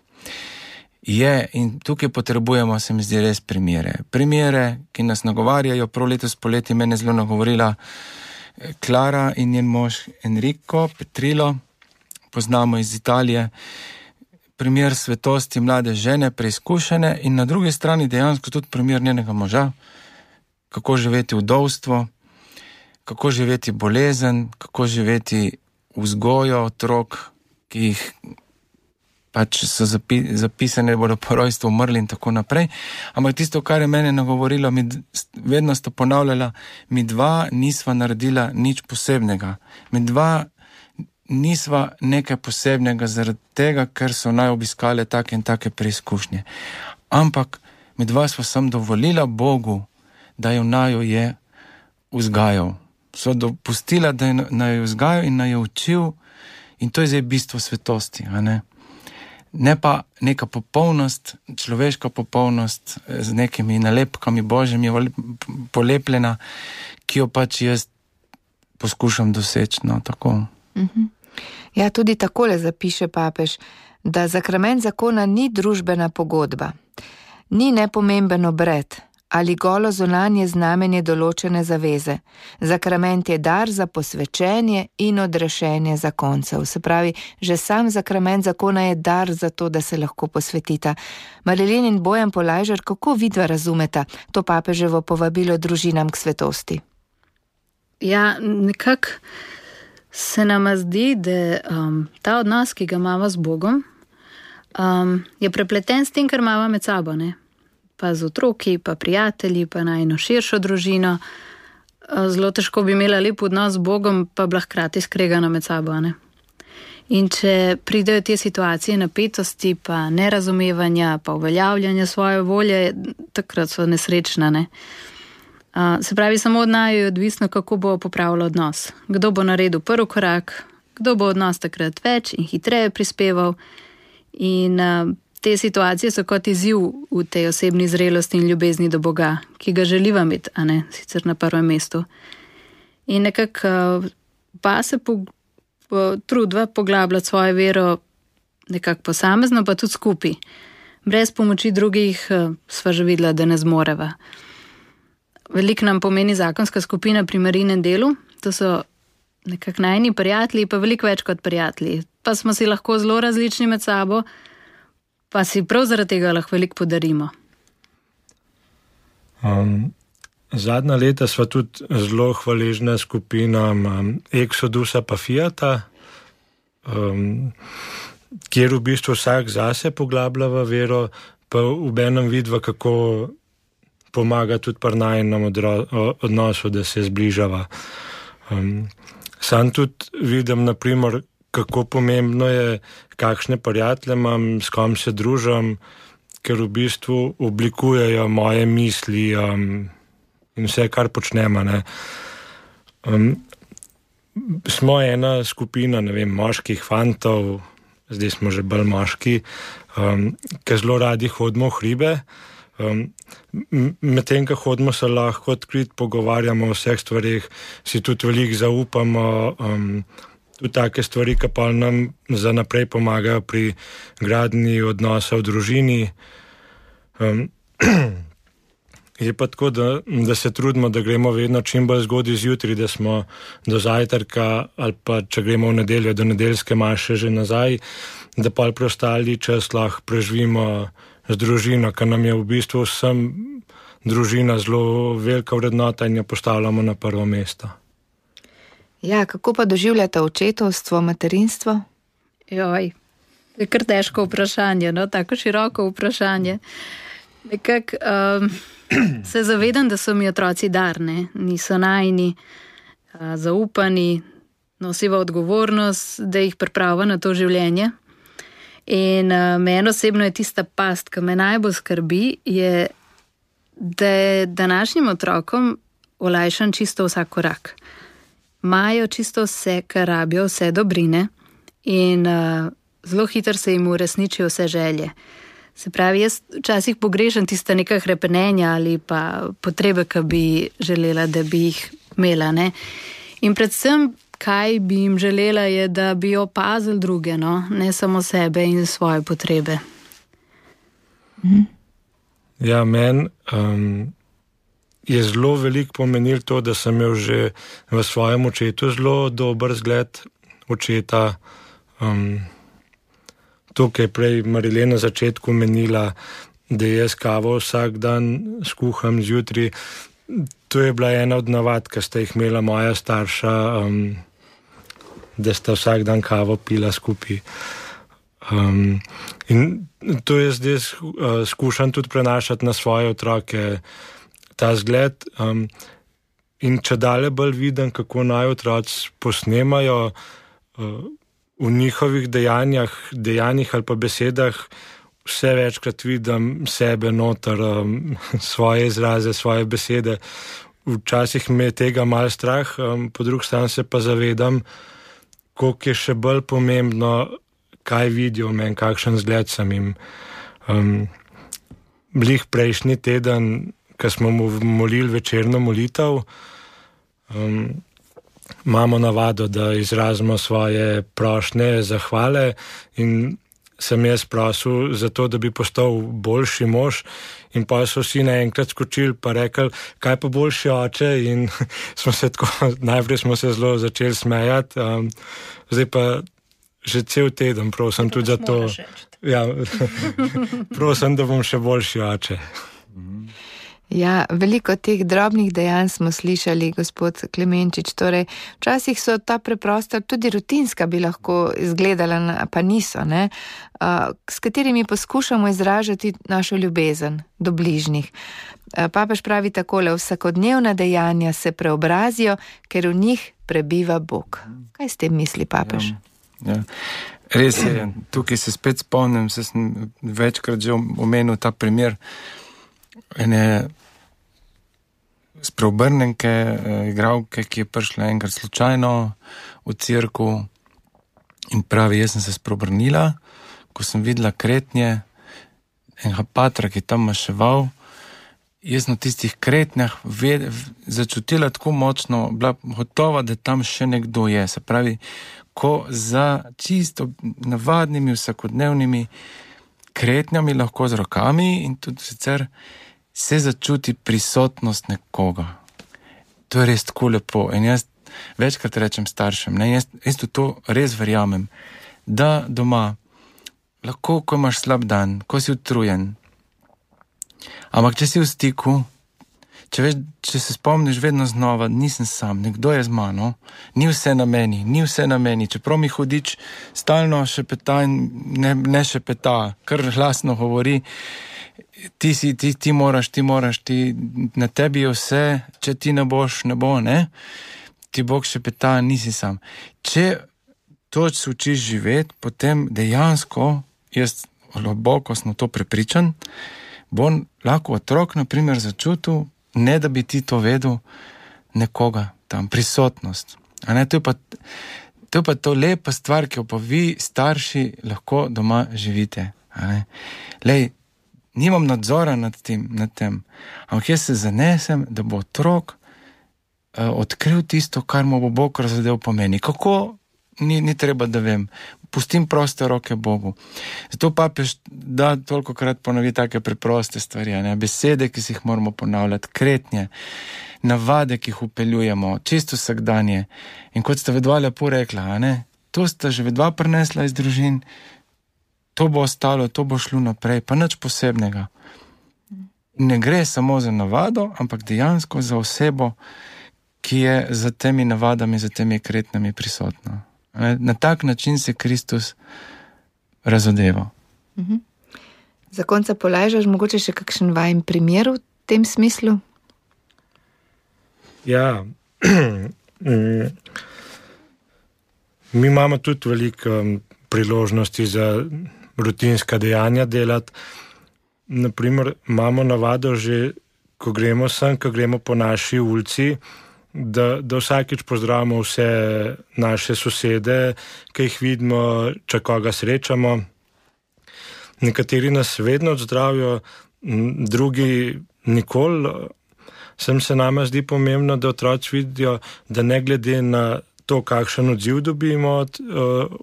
Je, in tukaj potrebujemo, se mi zdi, res primere. Primere, ki nas nagovarjajo. Prav letos poleti mene zelo nagovorila Klara in njen mož Enrico Petrilo, poznamo iz Italije. Primer svetosti mlade žene, preizkušene, in na drugi strani dejansko tudi primer njenega moža, kako živeti vdovstvo, kako živeti bolezen, kako živeti vzgojo otrok, ki jih pač so zapi, zapisane, bodo po rojstvu umrli in tako naprej. Ampak tisto, kar je mene nagovorilo, mi vedno sta ponavljala, mi dva nisva naredila nič posebnega. Mi dva nisva nekaj posebnega zaradi tega, ker so naj obiskale take in take preizkušnje. Ampak mi dva sva sem dovolila Bogu, da jo naju je vzgajal. So dopustila, da je naj jo vzgajal in naj jo učil, in to je zdaj bistvo svetosti, a ne? Ne pa neka popolnost, človeška popolnost z nekimi nalepkami Božjimi polepljena, ki jo pač jaz poskušam doseči, no, tako. Mhm. Ja, tudi takole zapiše papež, da zakrament zakona ni družbena pogodba, ni nepomemben obred ali golo zunanje znamenje določene zaveze. Zakrament je dar za posvečenje in odrešenje zakoncev. Se pravi, že sam zakrament zakona je dar za to, da se lahko posvetita. Marilyn in Bojan Polajžar, kako vidva razumeta to papeževo povabilo družinam k svetosti? Ja, nekako se nama zdi, da um, ta odnos, ki ga imamo z Bogom, um, je prepleten s tem, kar imamo med sabo, ne? Pa z otroki, pa prijatelji, pa najno širšo družino. Zelo težko bi imela lep odnos z Bogom, pa bila hkrati skregana med sabo, ne? In če pridejo te situacije napetosti, pa nerazumevanja, pa uveljavljanja svoje volje, takrat so nesrečna, ne? Se pravi, samo od naju je odvisno, kako bo popravilo odnos. Kdo bo naredil prvi korak, kdo bo odnos takrat več in hitreje prispeval. In te situacije so kot izziv v tej osebni zrelosti in ljubezni do Boga, ki ga želiva imeti, a ne sicer na prvem mestu. In nekako pa se po, po, trudva poglabljati svojo vero nekako posamezno, pa tudi skupaj. Brez pomoči drugih sva že videla, da ne zmoreva. Veliko nam pomeni zakonska skupina pri Marinem delu, to so nekako najni prijatelji, pa veliko več kot prijatelji. Pa smo si lahko zelo različni med sabo, pa si prav zaradi tega lahko veliko podarimo. Um, zadnja leta sva tudi zelo hvaležna skupinam um, Exodusa pa Fiata, um, kjer v bistvu vsak zase poglablja v vero, pa v enem vidva, kako pomaga tudi pri najinem odnosu, da se zbližava. Um, sam tudi vidim, naprimer, kako pomembno je, kakšne prijatelje imam, s kom se družim, ker v bistvu oblikujejo moje misli um, in vse, kar počnemo. Ne. Um, smo ena skupina, ne vem, moških fantov, zdaj smo že bolj moški, um, ki zelo radi hodimo v hribe. Um, medtem, ko hodimo, se lahko odkrit pogovarjamo o vseh stvarih, si tudi veliko zaupamo, um, tudi take stvari, ki pa nam za naprej pomagajo pri gradnji odnosa v družini. Um, je pa tako, da, da se trudimo, da gremo vedno čim bolj zgodaj zjutraj, da smo do zajtrka ali pa če gremo v nedeljo do nedeljske maše že nazaj, da pa preostali čas lahko preživimo z družino, ker nam je v bistvu vsem družina zelo velika vrednota in jo postavljamo na prvo mesto. Ja, kako pa doživljate očetovstvo, materinstvo? Joj, je kar težko vprašanje, no, tako široko vprašanje. Nekako um, se zavedam, da so mi otroci darne, niso najni, uh, zaupani, nosiva odgovornost, da jih pripravlja na to življenje. In uh, meni osebno je tista past, ki me najbolj skrbi, je da je današnjim otrokom olajšan čisto vsak korak. Imajo čisto vse, kar rabijo, vse dobrine in uh, zelo hitro se jim uresničijo vse želje. Se pravi, jaz včasih pogrešam tista neka hrepenenja ali pa potrebe, ki bi želela, da bi jih imela. Ne? In predvsem, kaj bi jim želela, je, da bi opazili druge, no? Ne samo sebe in svoje potrebe. Ja, meni um, je zelo veliko pomenilo to, da sem imel že v svojem očetu zelo dober zgled očeta. Um, to, kar je prej Marilena na začetku menila, da jaz kavo vsak dan skuham zjutraj, to je bila ena od navad, ki sta jih imela moja starša, um, da sta vsak dan kavo pila skupaj. Um, in to je zdaj uh, skušam tudi prenašati na svoje otroke, ta zgled. Um, in če dalje bolj vidim, kako naj otroci posnemajo uh, v njihovih dejanjah, dejanjih ali pa besedah, vse večkrat vidim sebe noter, um, svoje izraze, svoje besede. Včasih me je tega malo strah, um, po drugi strani se pa zavedam, koliko je še bolj pomembno, kaj vidijo v meni, kakšen zgled sem jim. Um, blih prejšnji teden, ko smo mu molili večerno molitev, um, imamo navado, da izrazimo svoje prošnje, zahvale in sem jaz prosil za to, da bi postal boljši mož in pa so vsi naenkrat skočili pa rekli, kaj pa boljši oče in smo se tako, najprej smo se zelo začeli smejati, um, zdaj pa že cel teden prosim tudi za to. Ja, prosim, da bom še boljši oče. Ja, veliko teh drobnih dejanj smo slišali, gospod Klemenčič, torej včasih so ta preprosta, tudi rutinska bi lahko izgledala, pa niso, ne, s katerimi poskušamo izražati našo ljubezen do bližnjih. Papež pravi takole, vsakodnevna dejanja se preobrazijo, ker v njih prebiva Bog. Kaj s tem misli papež? Ja, ja. Res je, tukaj se spet spomnim, se sem večkrat že omenil ta primer ene spreobrnenke, igralke, ki je prišla enkrat slučajno v cirku in pravi, jaz sem se spreobrnila, ko sem videla kretnje enega patra, ki je tam maševal, jaz na tistih kretnjah ved, začutila tako močno, bila gotova, da tam še nekdo je. Se pravi, ko za čisto navadnimi, vsakodnevnimi kretnjami, lahko z rokami in tudi sicer se začuti prisotnost nekoga. To je res tako lepo. In jaz večkrat rečem staršem, ne, jaz, jaz to res verjamem, da doma lahko, ko imaš slab dan, ko si utrujen, ampak če si v stiku, če, veš, če se spomniš vedno znova, nisem sam, nekdo je z mano, ni vse na meni, ni vse na meni, čeprav mi hudič stalno šepeta in ne, ne šepeta, kar glasno govori, ti si, ti, ti moraš, ti moraš, ti, na tebi je vse, če ti ne boš, ne bo, ne, ti Bog šepeta, nisi sam. Če to se učiš živeti, potem dejansko, jaz globoko sem to prepričan, bo lahko otrok, na primer, začutil, ne da bi ti to vedel, nekoga tam, prisotnost. A ne, to je pa to, je pa to lepa stvar, ki jo pa vi, starši, lahko doma živite. A ne. Lej, nimam nadzora nad tem, nad tem, ampak jaz se zanesem, da bo otrok uh, odkril tisto, kar mu bo Bog razdelil pomeni. Kako? Ni, ni treba, da vem. Pustim proste roke Bogu. Zato papež da tolikokrat ponovi take preproste stvari, ne? Besede, ki si jih moramo ponavljati, kretnje, navade, ki jih upeljujemo, čisto vsakdanje. In kot sta vedva lepo rekla, ne? To sta že vedva prinesla iz družin, to bo ostalo, to bo šlo naprej, pa nič posebnega. Ne gre samo za navado, ampak dejansko za osebo, ki je za temi navadami, za temi kretnjami prisotna. Na tak način se Kristus razodeva. Mhm. Za konca polajžaš mogoče še kakšen vajen primer v tem smislu? Ja, mi imamo tudi veliko priložnosti za rutinska dejanja delati. Naprimer, imamo navado že ko gremo sem, ko gremo po naši ulici, da, da vsakič pozdravimo vse naše sosede, ki jih vidimo, če koga srečamo. Nekateri nas vedno odzdravijo, drugi nikoli. Sem se nama zdi pomembno, da otroci vidijo, da ne glede na to, kakšen odziv dobimo od,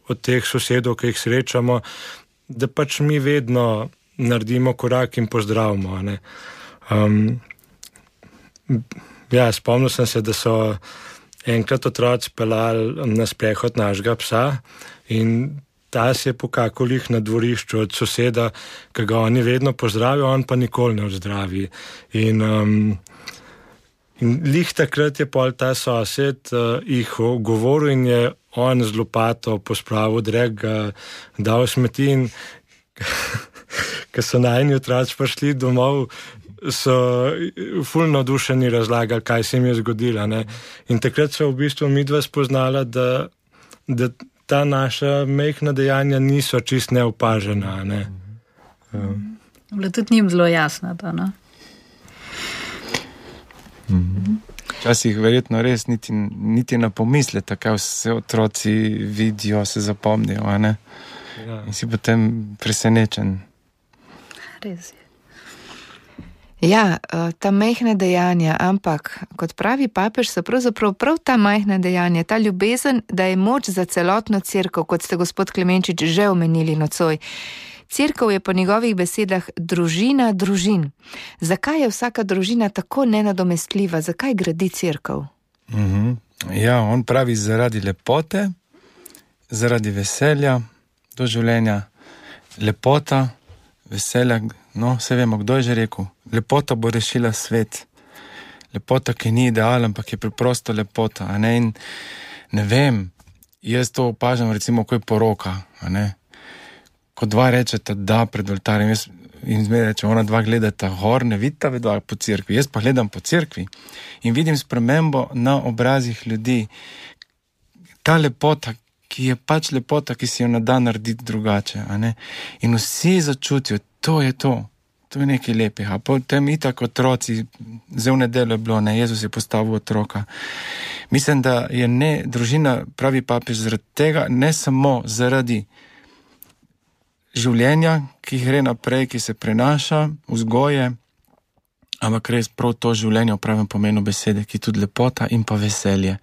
od teh sosedov, ki jih srečamo, da pač mi vedno naredimo korak in pozdravimo. Ne? Um, ja, spomnil sem se, da so enkrat otroci pelali na sprehod našega psa in ta se je pokakal jih na dvorišču od soseda, ki ga oni vedno pozdravijo, on pa nikoli ne odzdravi. In, um, in lih takrat je pol ta sosed uh, jih govoril in je on z lopato pospravil drek, ga dal smeti in ko so najni otroci prišli domov, so ful navdušeni razlagali, kaj se jim je zgodilo. Ne? In takrat so v bistvu midva spoznala, da, da ta naša mehna dejanja niso čist neopažena. Ne? Um. Bilo tudi njim zelo jasno to, no? Včasih verjetno res niti, niti na pomislete, kaj vse otroci vidijo, se zapomnijo, a ne? Ja. In si potem presenečen. Res je. Ja, ta majhna dejanja, ampak kot pravi papež, so pravzaprav prav ta majhna dejanja, ta ljubezen, da je moč za celotno cerkev, kot ste gospod Klemenčič že omenili nocoj. Cerkev je po njegovih besedah družina družin. Zakaj je vsaka družina tako nenadomestljiva? Zakaj gradi cerkev? Mhm. Ja, on pravi zaradi lepote, zaradi veselja do življenja. Lepota, veselja, no, vse vemo, kdo je že rekel. Lepota bo rešila svet. Lepota, ki ni ideal, ampak je preprosto lepota. A ne? In ne vem, jaz to opažam recimo, ko je poroka. A ne? Ko dva rečeta da pred oltarjem, jaz in zmeraj reče, ona dva gledata gor, ne vidita vedva po cerkvi. Jaz pa gledam po cerkvi in vidim spremembo na obrazih ljudi. Ta lepota, ki je pač lepota, ki si jo ne da narediti drugače. A ne? In vsi začutijo, to je to, to je nekaj lepih. A potem itak otroci, zdaj v nedeljo je bilo, ne, Jezus je postavil otroka. Mislim, da je ne, družina, pravi papež, zaradi tega, ne samo zaradi življenja, ki gre naprej, ki se prenaša, vzgoje, ampak res prav to življenje v pravem pomenu besede, ki je tudi lepota in pa veselje.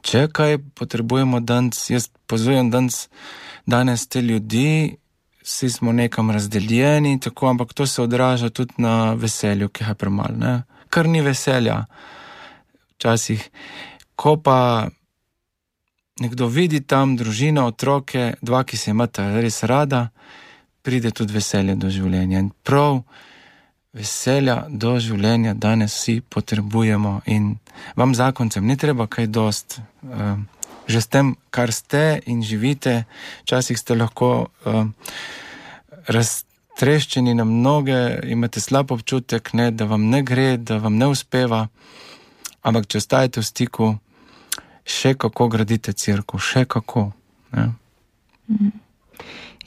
Če kaj potrebujemo danes, jaz pozivam danes, danes te ljudi, vsi smo nekam razdeljeni, tako, ampak to se odraža tudi na veselju, ki je premalo, ne? Kar ni veselja. Včasih, ko pa nekdo vidi tam družino, otroke, dva, ki se imata res rada, pride tudi veselje do življenja. In prav veselja do življenja danes vsi potrebujemo in vam zakoncem ni treba kaj dost. Uh, že s tem, kar ste in živite, včasih ste lahko uh, raztreščeni na mnoge, imate slab občutek, ne, da vam ne gre, da vam ne uspeva, ampak če ostajate v stiku, še kako gradite cerkev, še kako. Ne?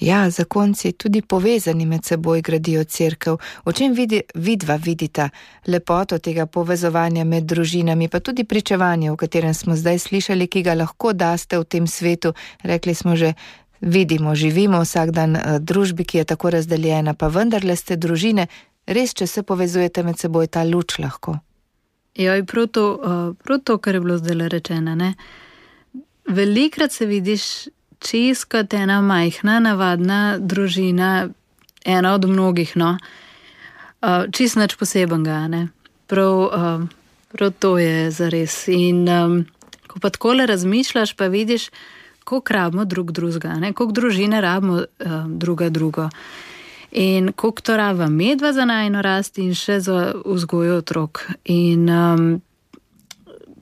Ja, zakonci tudi povezani med seboj gradijo cerkev. O čem vidi, vidva vidita lepoto tega povezovanja med družinami, pa tudi pričevanje, o katerem smo zdaj slišali, ki ga lahko daste v tem svetu. Rekli smo že, vidimo, živimo vsak dan družbi, ki je tako razdeljena, pa vendarle ste družine, res, če se povezujete med seboj, ta luč lahko. Ja, in prav to, prav to, kar je bilo zdaj rečeno, ne. Velikrat se vidiš čist kot ena majhna, navadna družina, ena od mnogih, no. Čist nič posebenega, ne. Prav, prav to je zares. In um, ko pa takole razmišljaš, pa vidiš, koliko rabimo drug drugega, ne, koliko družine rabimo um, druga drugo. In koliko to raba medva za najno rast in še za vzgojo otrok. In um,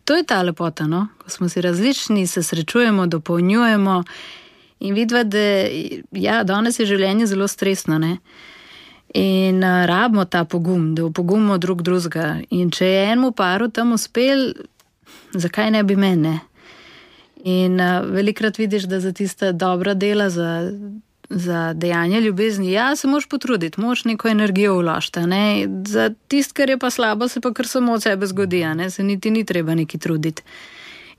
to je ta lepota, no? Ko smo si različni, se srečujemo, dopolnjujemo in vidva, da ja, danes je življenje zelo stresno, ne? In uh, rabimo ta pogum, da upogumimo drug drugega. In če je enemu paru tam uspel, zakaj ne bi mene? In uh, velikrat vidiš, da za tista dobra dela, za za dejanje ljubezni, ja, se moraš potruditi, moraš neko energijo vložiti, ne, za tist, kar je pa slabo, se pa kar samo od sebe zgodi, ne, se niti ni treba neki truditi.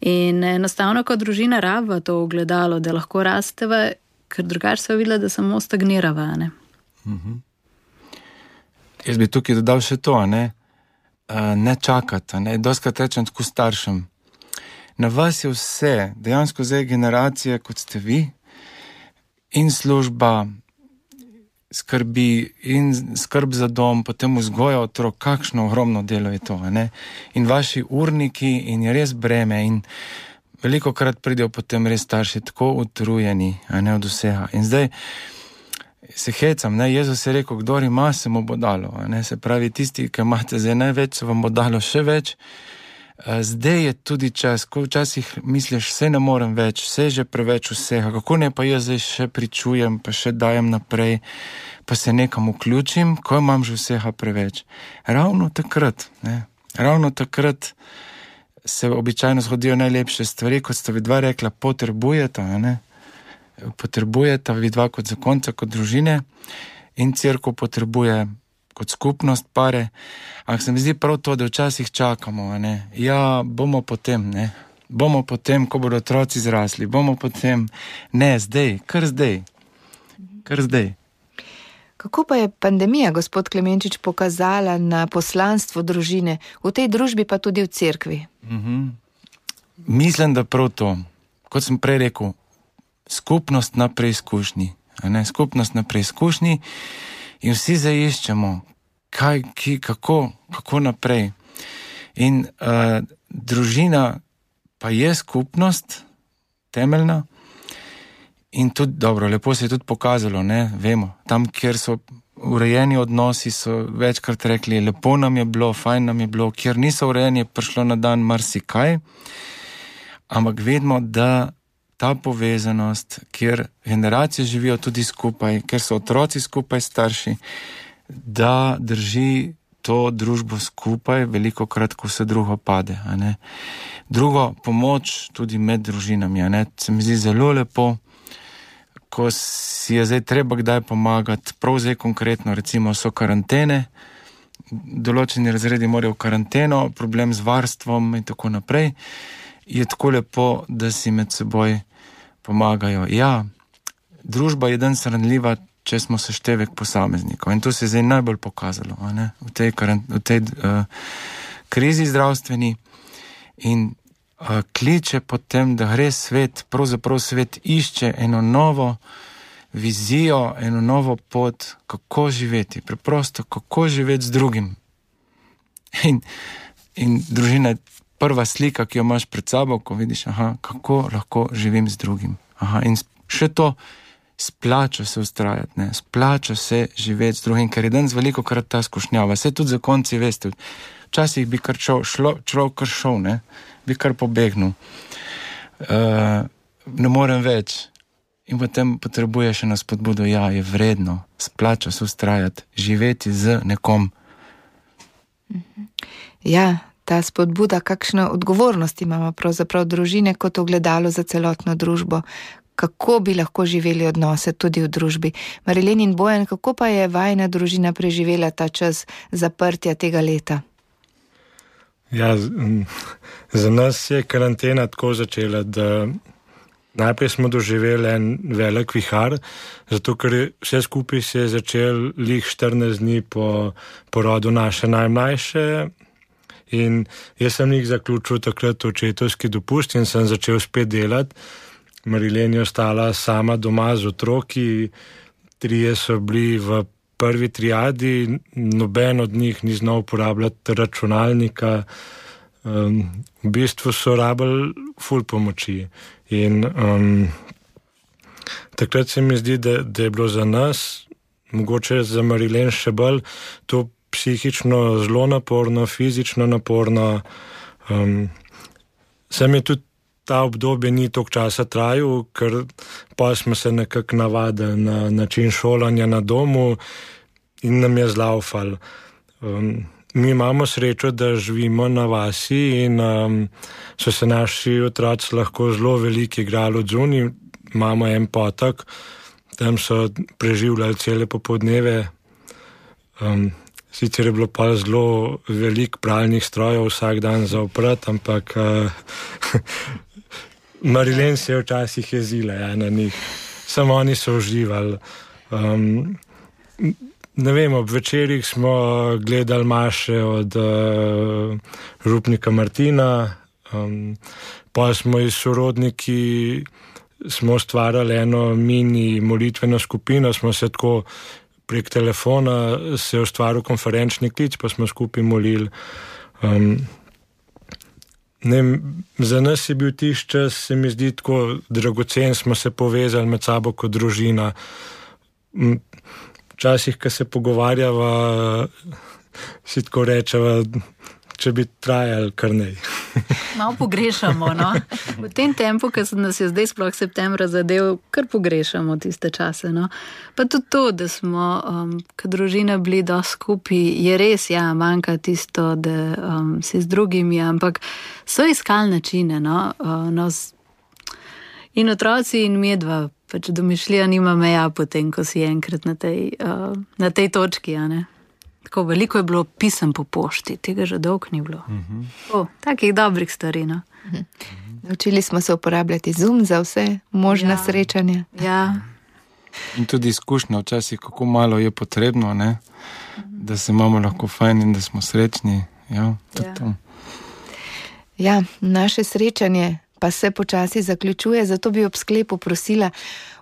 In enostavno, kot družina rabva to ogledalo, da lahko rasteva, ker drugače se videla, da samo stagnirava, ne. Mhm. Jaz bi tukaj dodal še to, ne, ne čakati, ne, doskrat rečem tako staršem. Na vas je vse, dejansko zdaj generacije, kot ste vi, in služba, skrbi in skrb za dom, potem vzgoja otrok, kakšno ogromno delo je to, ne? In vaši urniki in je res breme in veliko krat pridejo potem res starši tako utrujeni, a ne, od vsega. In zdaj se hecam, ne, Jezus je rekel, kdor ima, se mu bo dalo, a ne, se pravi, tisti, ki imate zdaj največ, se vam bo dalo še več. Zdaj je tudi čas, ko včasih misliš, vse ne morem več, vse je že preveč vsega, kako ne pa jaz zdaj še pričujem, pa še dajem naprej, pa se nekam vključim, ko imam že vsega preveč. Ravno takrat, ne, ravno takrat se običajno zgodijo najlepše stvari, kot sta vidva rekla, potrebujeta, ne, potrebujeta vidva kot zakonca, kot družine in cerkev potrebuje kot skupnost pare, ampak se mi zdi prav to, da včasih čakamo, ne, ja, bomo potem, ne, bomo potem, ko bodo otroci zrasli, bomo potem, ne, zdaj, kar zdaj, kar zdaj. Kako pa je pandemija, gospod Klemenčič, pokazala na poslanstvo družine, v tej družbi pa tudi v cerkvi? Mhm. Mislim, da prav to, kot sem prej rekel, skupnost na preizkušnji, a ne, skupnost na preizkušnji, in vsi zaiščemo, kaj, ki, kako, kako naprej. In uh, družina pa je skupnost, temeljna, in tudi, dobro, lepo se je tudi pokazalo, ne, vemo, tam, kjer so urejeni odnosi, so večkrat rekli, lepo nam je bilo, fajn nam je bilo, kjer niso urejeni, je prišlo na dan marsikaj, ampak vedimo, da ta povezanost, kjer generacije živijo tudi skupaj, kjer so otroci skupaj starši, da drži to družbo skupaj, veliko krat, ko vse drugo pade, a ne. Drugo, pomoč tudi med družinami, a ne, se mi zdi zelo lepo, ko si je zdaj treba kdaj pomagati, prav zdaj konkretno, recimo so karantene, določeni razredi morajo v karanteno, problem z varstvom in tako naprej, je tako lepo, da si med seboj pomagajo. Ja, družba je danes ranljiva, če smo seštevek posameznikov. In to se je zdaj najbolj pokazalo, a ne, v tej, v tej uh, krizi zdravstveni in uh, kliče potem, da gre svet, pravzaprav svet išče eno novo vizijo, eno novo pot, kako živeti, preprosto, kako živeti z drugim. In, in družina je prva slika, ki jo imaš pred sabo, ko vidiš, aha, kako lahko živim z drugim. Aha, in še to, splača se ustrajati, ne, splača se živeti z drugim, ker je danes veliko krat ta skušnjava. Vse tudi zakonci, veste, včasih bi kar šel, šlo, človek kar šel, ne, bi kar pobegnil. Uh, ne morem več. In potem potrebuješ eno spodbudo, ja, je vredno, splača se ustrajati, živeti z nekom. Ja, ta spodbuda, kakšno odgovornost imamo pravzaprav družine kot ogledalo za celotno družbo, kako bi lahko živeli odnose tudi v družbi. Marilen in Bojan, kako pa je vajina družina preživela ta čas zaprtja tega leta? Ja, za nas je karantena tako začela, da najprej smo doživeli en velik vihar, zato ker vse skupaj se je začel lih štirinajst dni po porodu naše najmlajše. In jaz sem jih zaključil takrat očetovski dopust in sem začel spet delati. Marilen je ostala sama doma z otroki, trije so bili v prvi triadi, noben od njih ni znal uporabljati računalnika. Um, v bistvu so rabili ful pomoči. In um, takrat se mi zdi, da, da je bilo za nas, mogoče za Marilen še bolj, to psihično zelo naporno, fizično naporno. Um, sem je tudi ta obdobje ni toliko časa trajal, ker pa smo se nekako navadili na način šolanja na domu in nam je zlaufal. Um, mi imamo srečo, da živimo na vasi in um, so se naši otroci lahko zelo veliki igrali od zunaj. Imamo en potok, tam so preživljali cele popoldneve. Um, sicer je bilo pa zelo veliko pralnih strojev vsak dan za oprat, ampak uh, Marilyn se je včasih jezila ja, na njih. Samo oni so uživali. Um, ne vem, ob večerjih smo gledali maše od uh, župnika Martina, um, pa smo iz sorodniki smo ustvarjali eno mini molitveno skupino, smo se tako prek telefona se je ustvaril konferenčni klic, pa smo skupaj molili. Um, ne, za nas je bil tisti čas, se mi zdi tako dragocen, smo se povezali med sabo kot družina. Včasih, ko se pogovarjava, si tako rečeva, če bi trajali kar nej. Malo pogrešamo, no? V tem tempu, ki nas je zdaj sploh septembra zadev, kar pogrešamo tiste čase, no? Pa tudi to, da smo, um, kot družina bili dosti skupaj, je res, ja, manjka tisto, da um, si z drugimi, ampak so iskali načine, no? Uh, no in otroci in medva, pač domišljija nima meja potem, ko si enkrat na tej, uh, na tej točki, a ne? Tako veliko je bilo pisem po pošti, tega že dolgo ni bilo. Uh-huh. O, takih dobrih stvari, no. Uh-huh. Naučili smo se uporabljati Zoom za vse možne ja. srečanja. Ja. In tudi izkušnja včasih, kako malo je potrebno, ne? Uh-huh. Da se imamo lahko fajn in da smo srečni. Ja, ja. To. Ja, naše srečanje pa se počasi zaključuje, zato bi ob sklepu prosila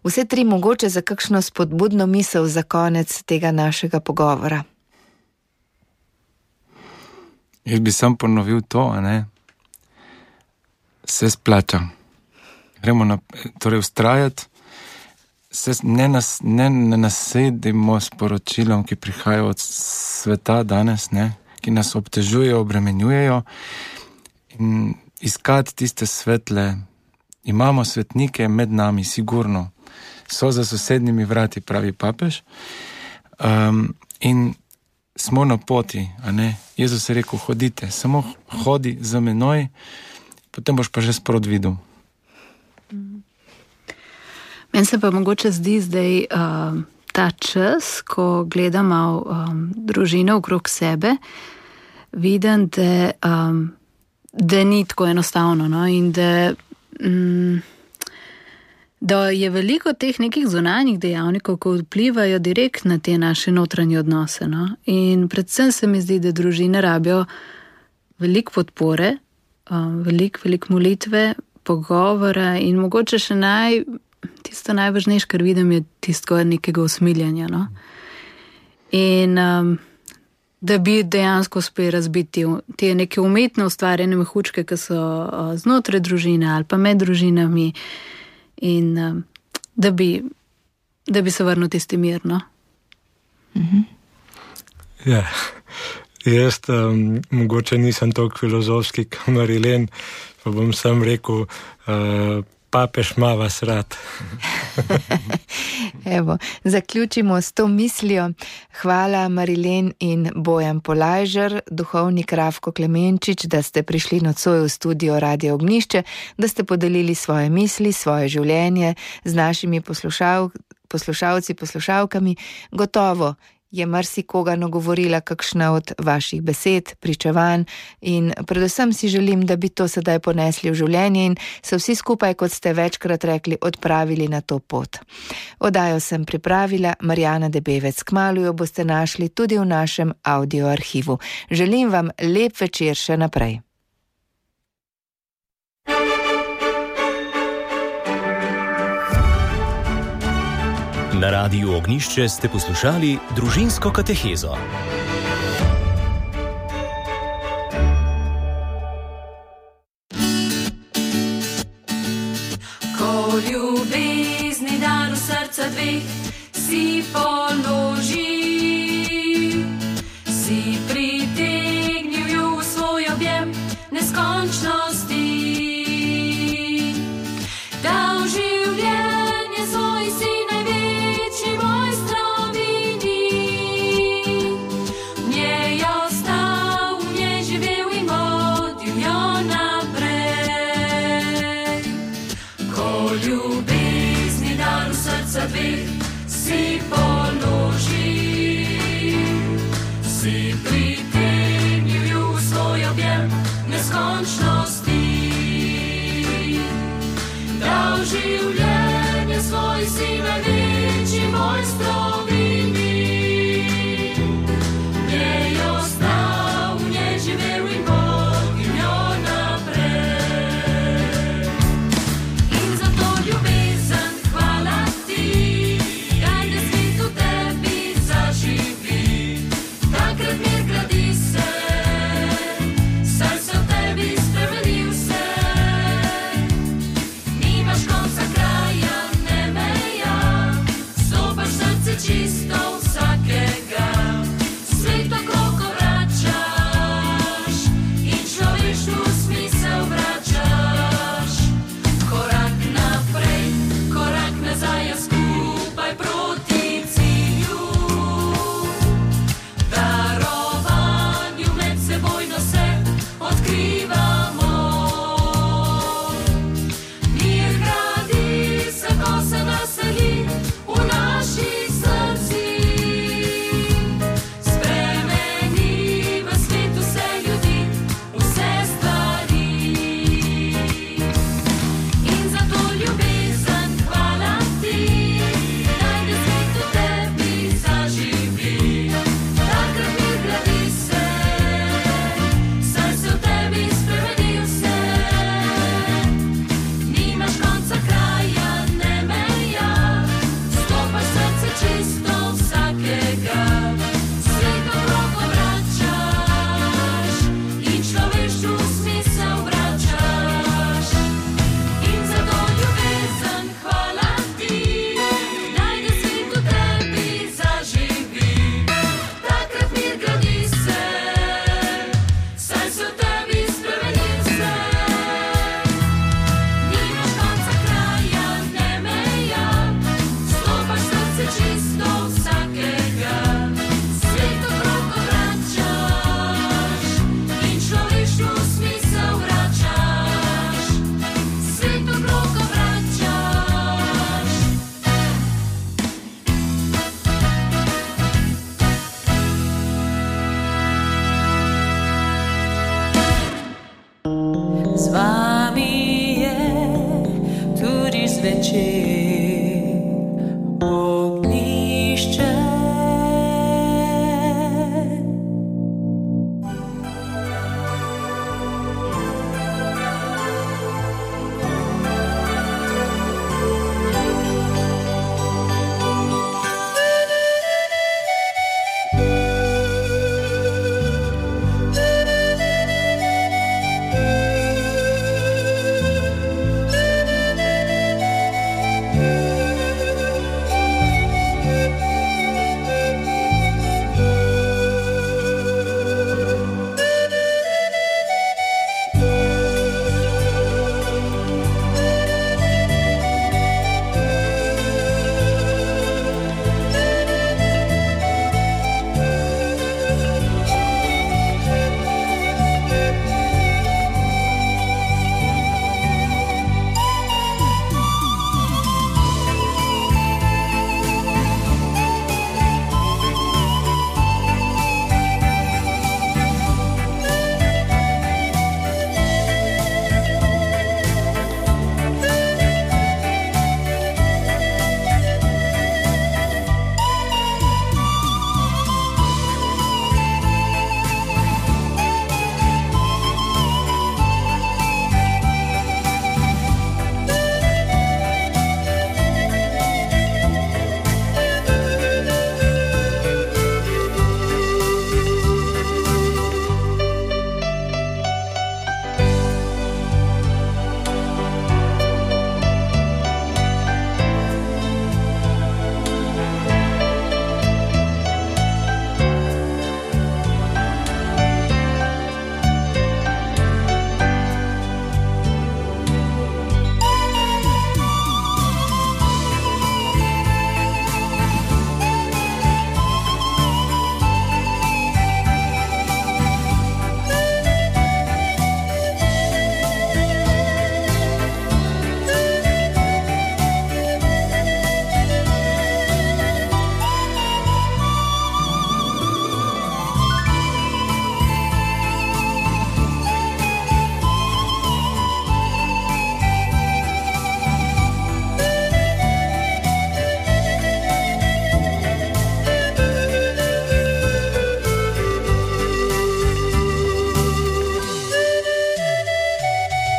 vse tri mogoče za kakšno spodbudno misel za konec tega našega pogovora. Jaz bi sam ponovil to, a ne, se splača. Gremo na, torej ustrajati, se ne, nas, ne, ne nasedimo s poročilom, ki prihajajo od sveta danes, ne, ki nas obtežujejo, obremenjujejo in iskati tiste svetle. Imamo svetnike med nami, sigurno. So za sosednjimi vrati, pravi papež. Um, in smo na poti, a ne? Jezus je rekel, hodite, samo hodi za menoj, potem boš pa že sprot videl. Meni se pa mogoče zdi zdaj uh, ta čas, ko gledamo um, družino okrog sebe, vidim, da, um, da ni tako enostavno, no? In da, um, da je veliko teh nekih zunanjih dejavnikov, ko vplivajo direkt na te naše notranje odnose. No? In predvsem se mi zdi, da družine rabijo veliko podpore, um, veliko, veliko molitve, pogovora in mogoče še naj, tisto najvažnejše, kar vidim, je tisto nekega usmiljanja. No? In um, da bi dejansko uspeli razbiti te neke umetno ustvarjene mehučke, ki so uh, znotraj družine ali pa med družinami, in um, da, bi, da bi se vrnil tisti mir, no? Mhm. Ja, jaz um, mogoče nisem toliko filozofski kot Marilyn, pa bom sam rekel, uh, papež ima vas rad. Evo, zaključimo s to mislijo. Hvala Marilyn in Bojan Polajžer, duhovnik Rafko Klemenčič, da ste prišli nocoj v studio Radia Ognjišče, da ste podelili svoje misli, svoje življenje z našimi poslušal, poslušalci, poslušalkami. Gotovo je marsikoga nagovorila kakšna od vaših besed, pričevanj in predvsem si želim, da bi to sedaj ponesli v življenje in se vsi skupaj, kot ste večkrat rekli, odpravili na to pot. Oddajo sem pripravila Marjana Debevec. Kmalu jo boste našli tudi v našem audio arhivu. Želim vam lep večer še naprej. Na Radiu Ognjišče ste poslušali Družinsko katehezo. Ko ljubezni dar v srca dveh si položi, si pritegnil ju v svoj objem neskončnosti. Dal življenje svoj si največji mojstrovini. V njej ostal, v njej živel in vodil jo naprej. Ko ljubezni dar v srca dveh si položi, si pritegnil v svoj objem neskončnosti. Dal življenje svoj si največji mojstrovini. Njej ostal, v njej živel in Bog in jo naprej. In za to ljubezen hvala ti, daj da svet v tebi zaživi. Takrat mir gradi se, saj se v tebi spremenil se. Nimaš konca kraja, ne meja, stopaš srce čisto vsakega. Svet okrog obračaš in človeštvu smisel vračaš. Korak naprej, korak nazaj, a skupaj proti cilju. Darovanju medsebojno se odkrivamo. Mir gradi se, ko se naseli v naših srcih. Spremeni v svet vse ljudi, vse stvari. In za to ljubezen hvala ti, daj da svet v tebi zaživi. Takrat mir gradi se, saj se v tebi spremenil se. Nimaš konca kraja, ne meja, stopaš srce čisto vsakega. Svet okrog obračaš in človeštvu smisel vračaš. In za to ljubezen hvala ti, daj da svet v tebi zaživi. Takrat mir gradi se, saj se v tebi spremenil se. Nimaš konca kraja, ne meja, stopaš srce čisto vsakega. Svet okrog obračaš in človeštvu smisel vračaš. Svet okrog obračaš. Z vami je tudi zvečer.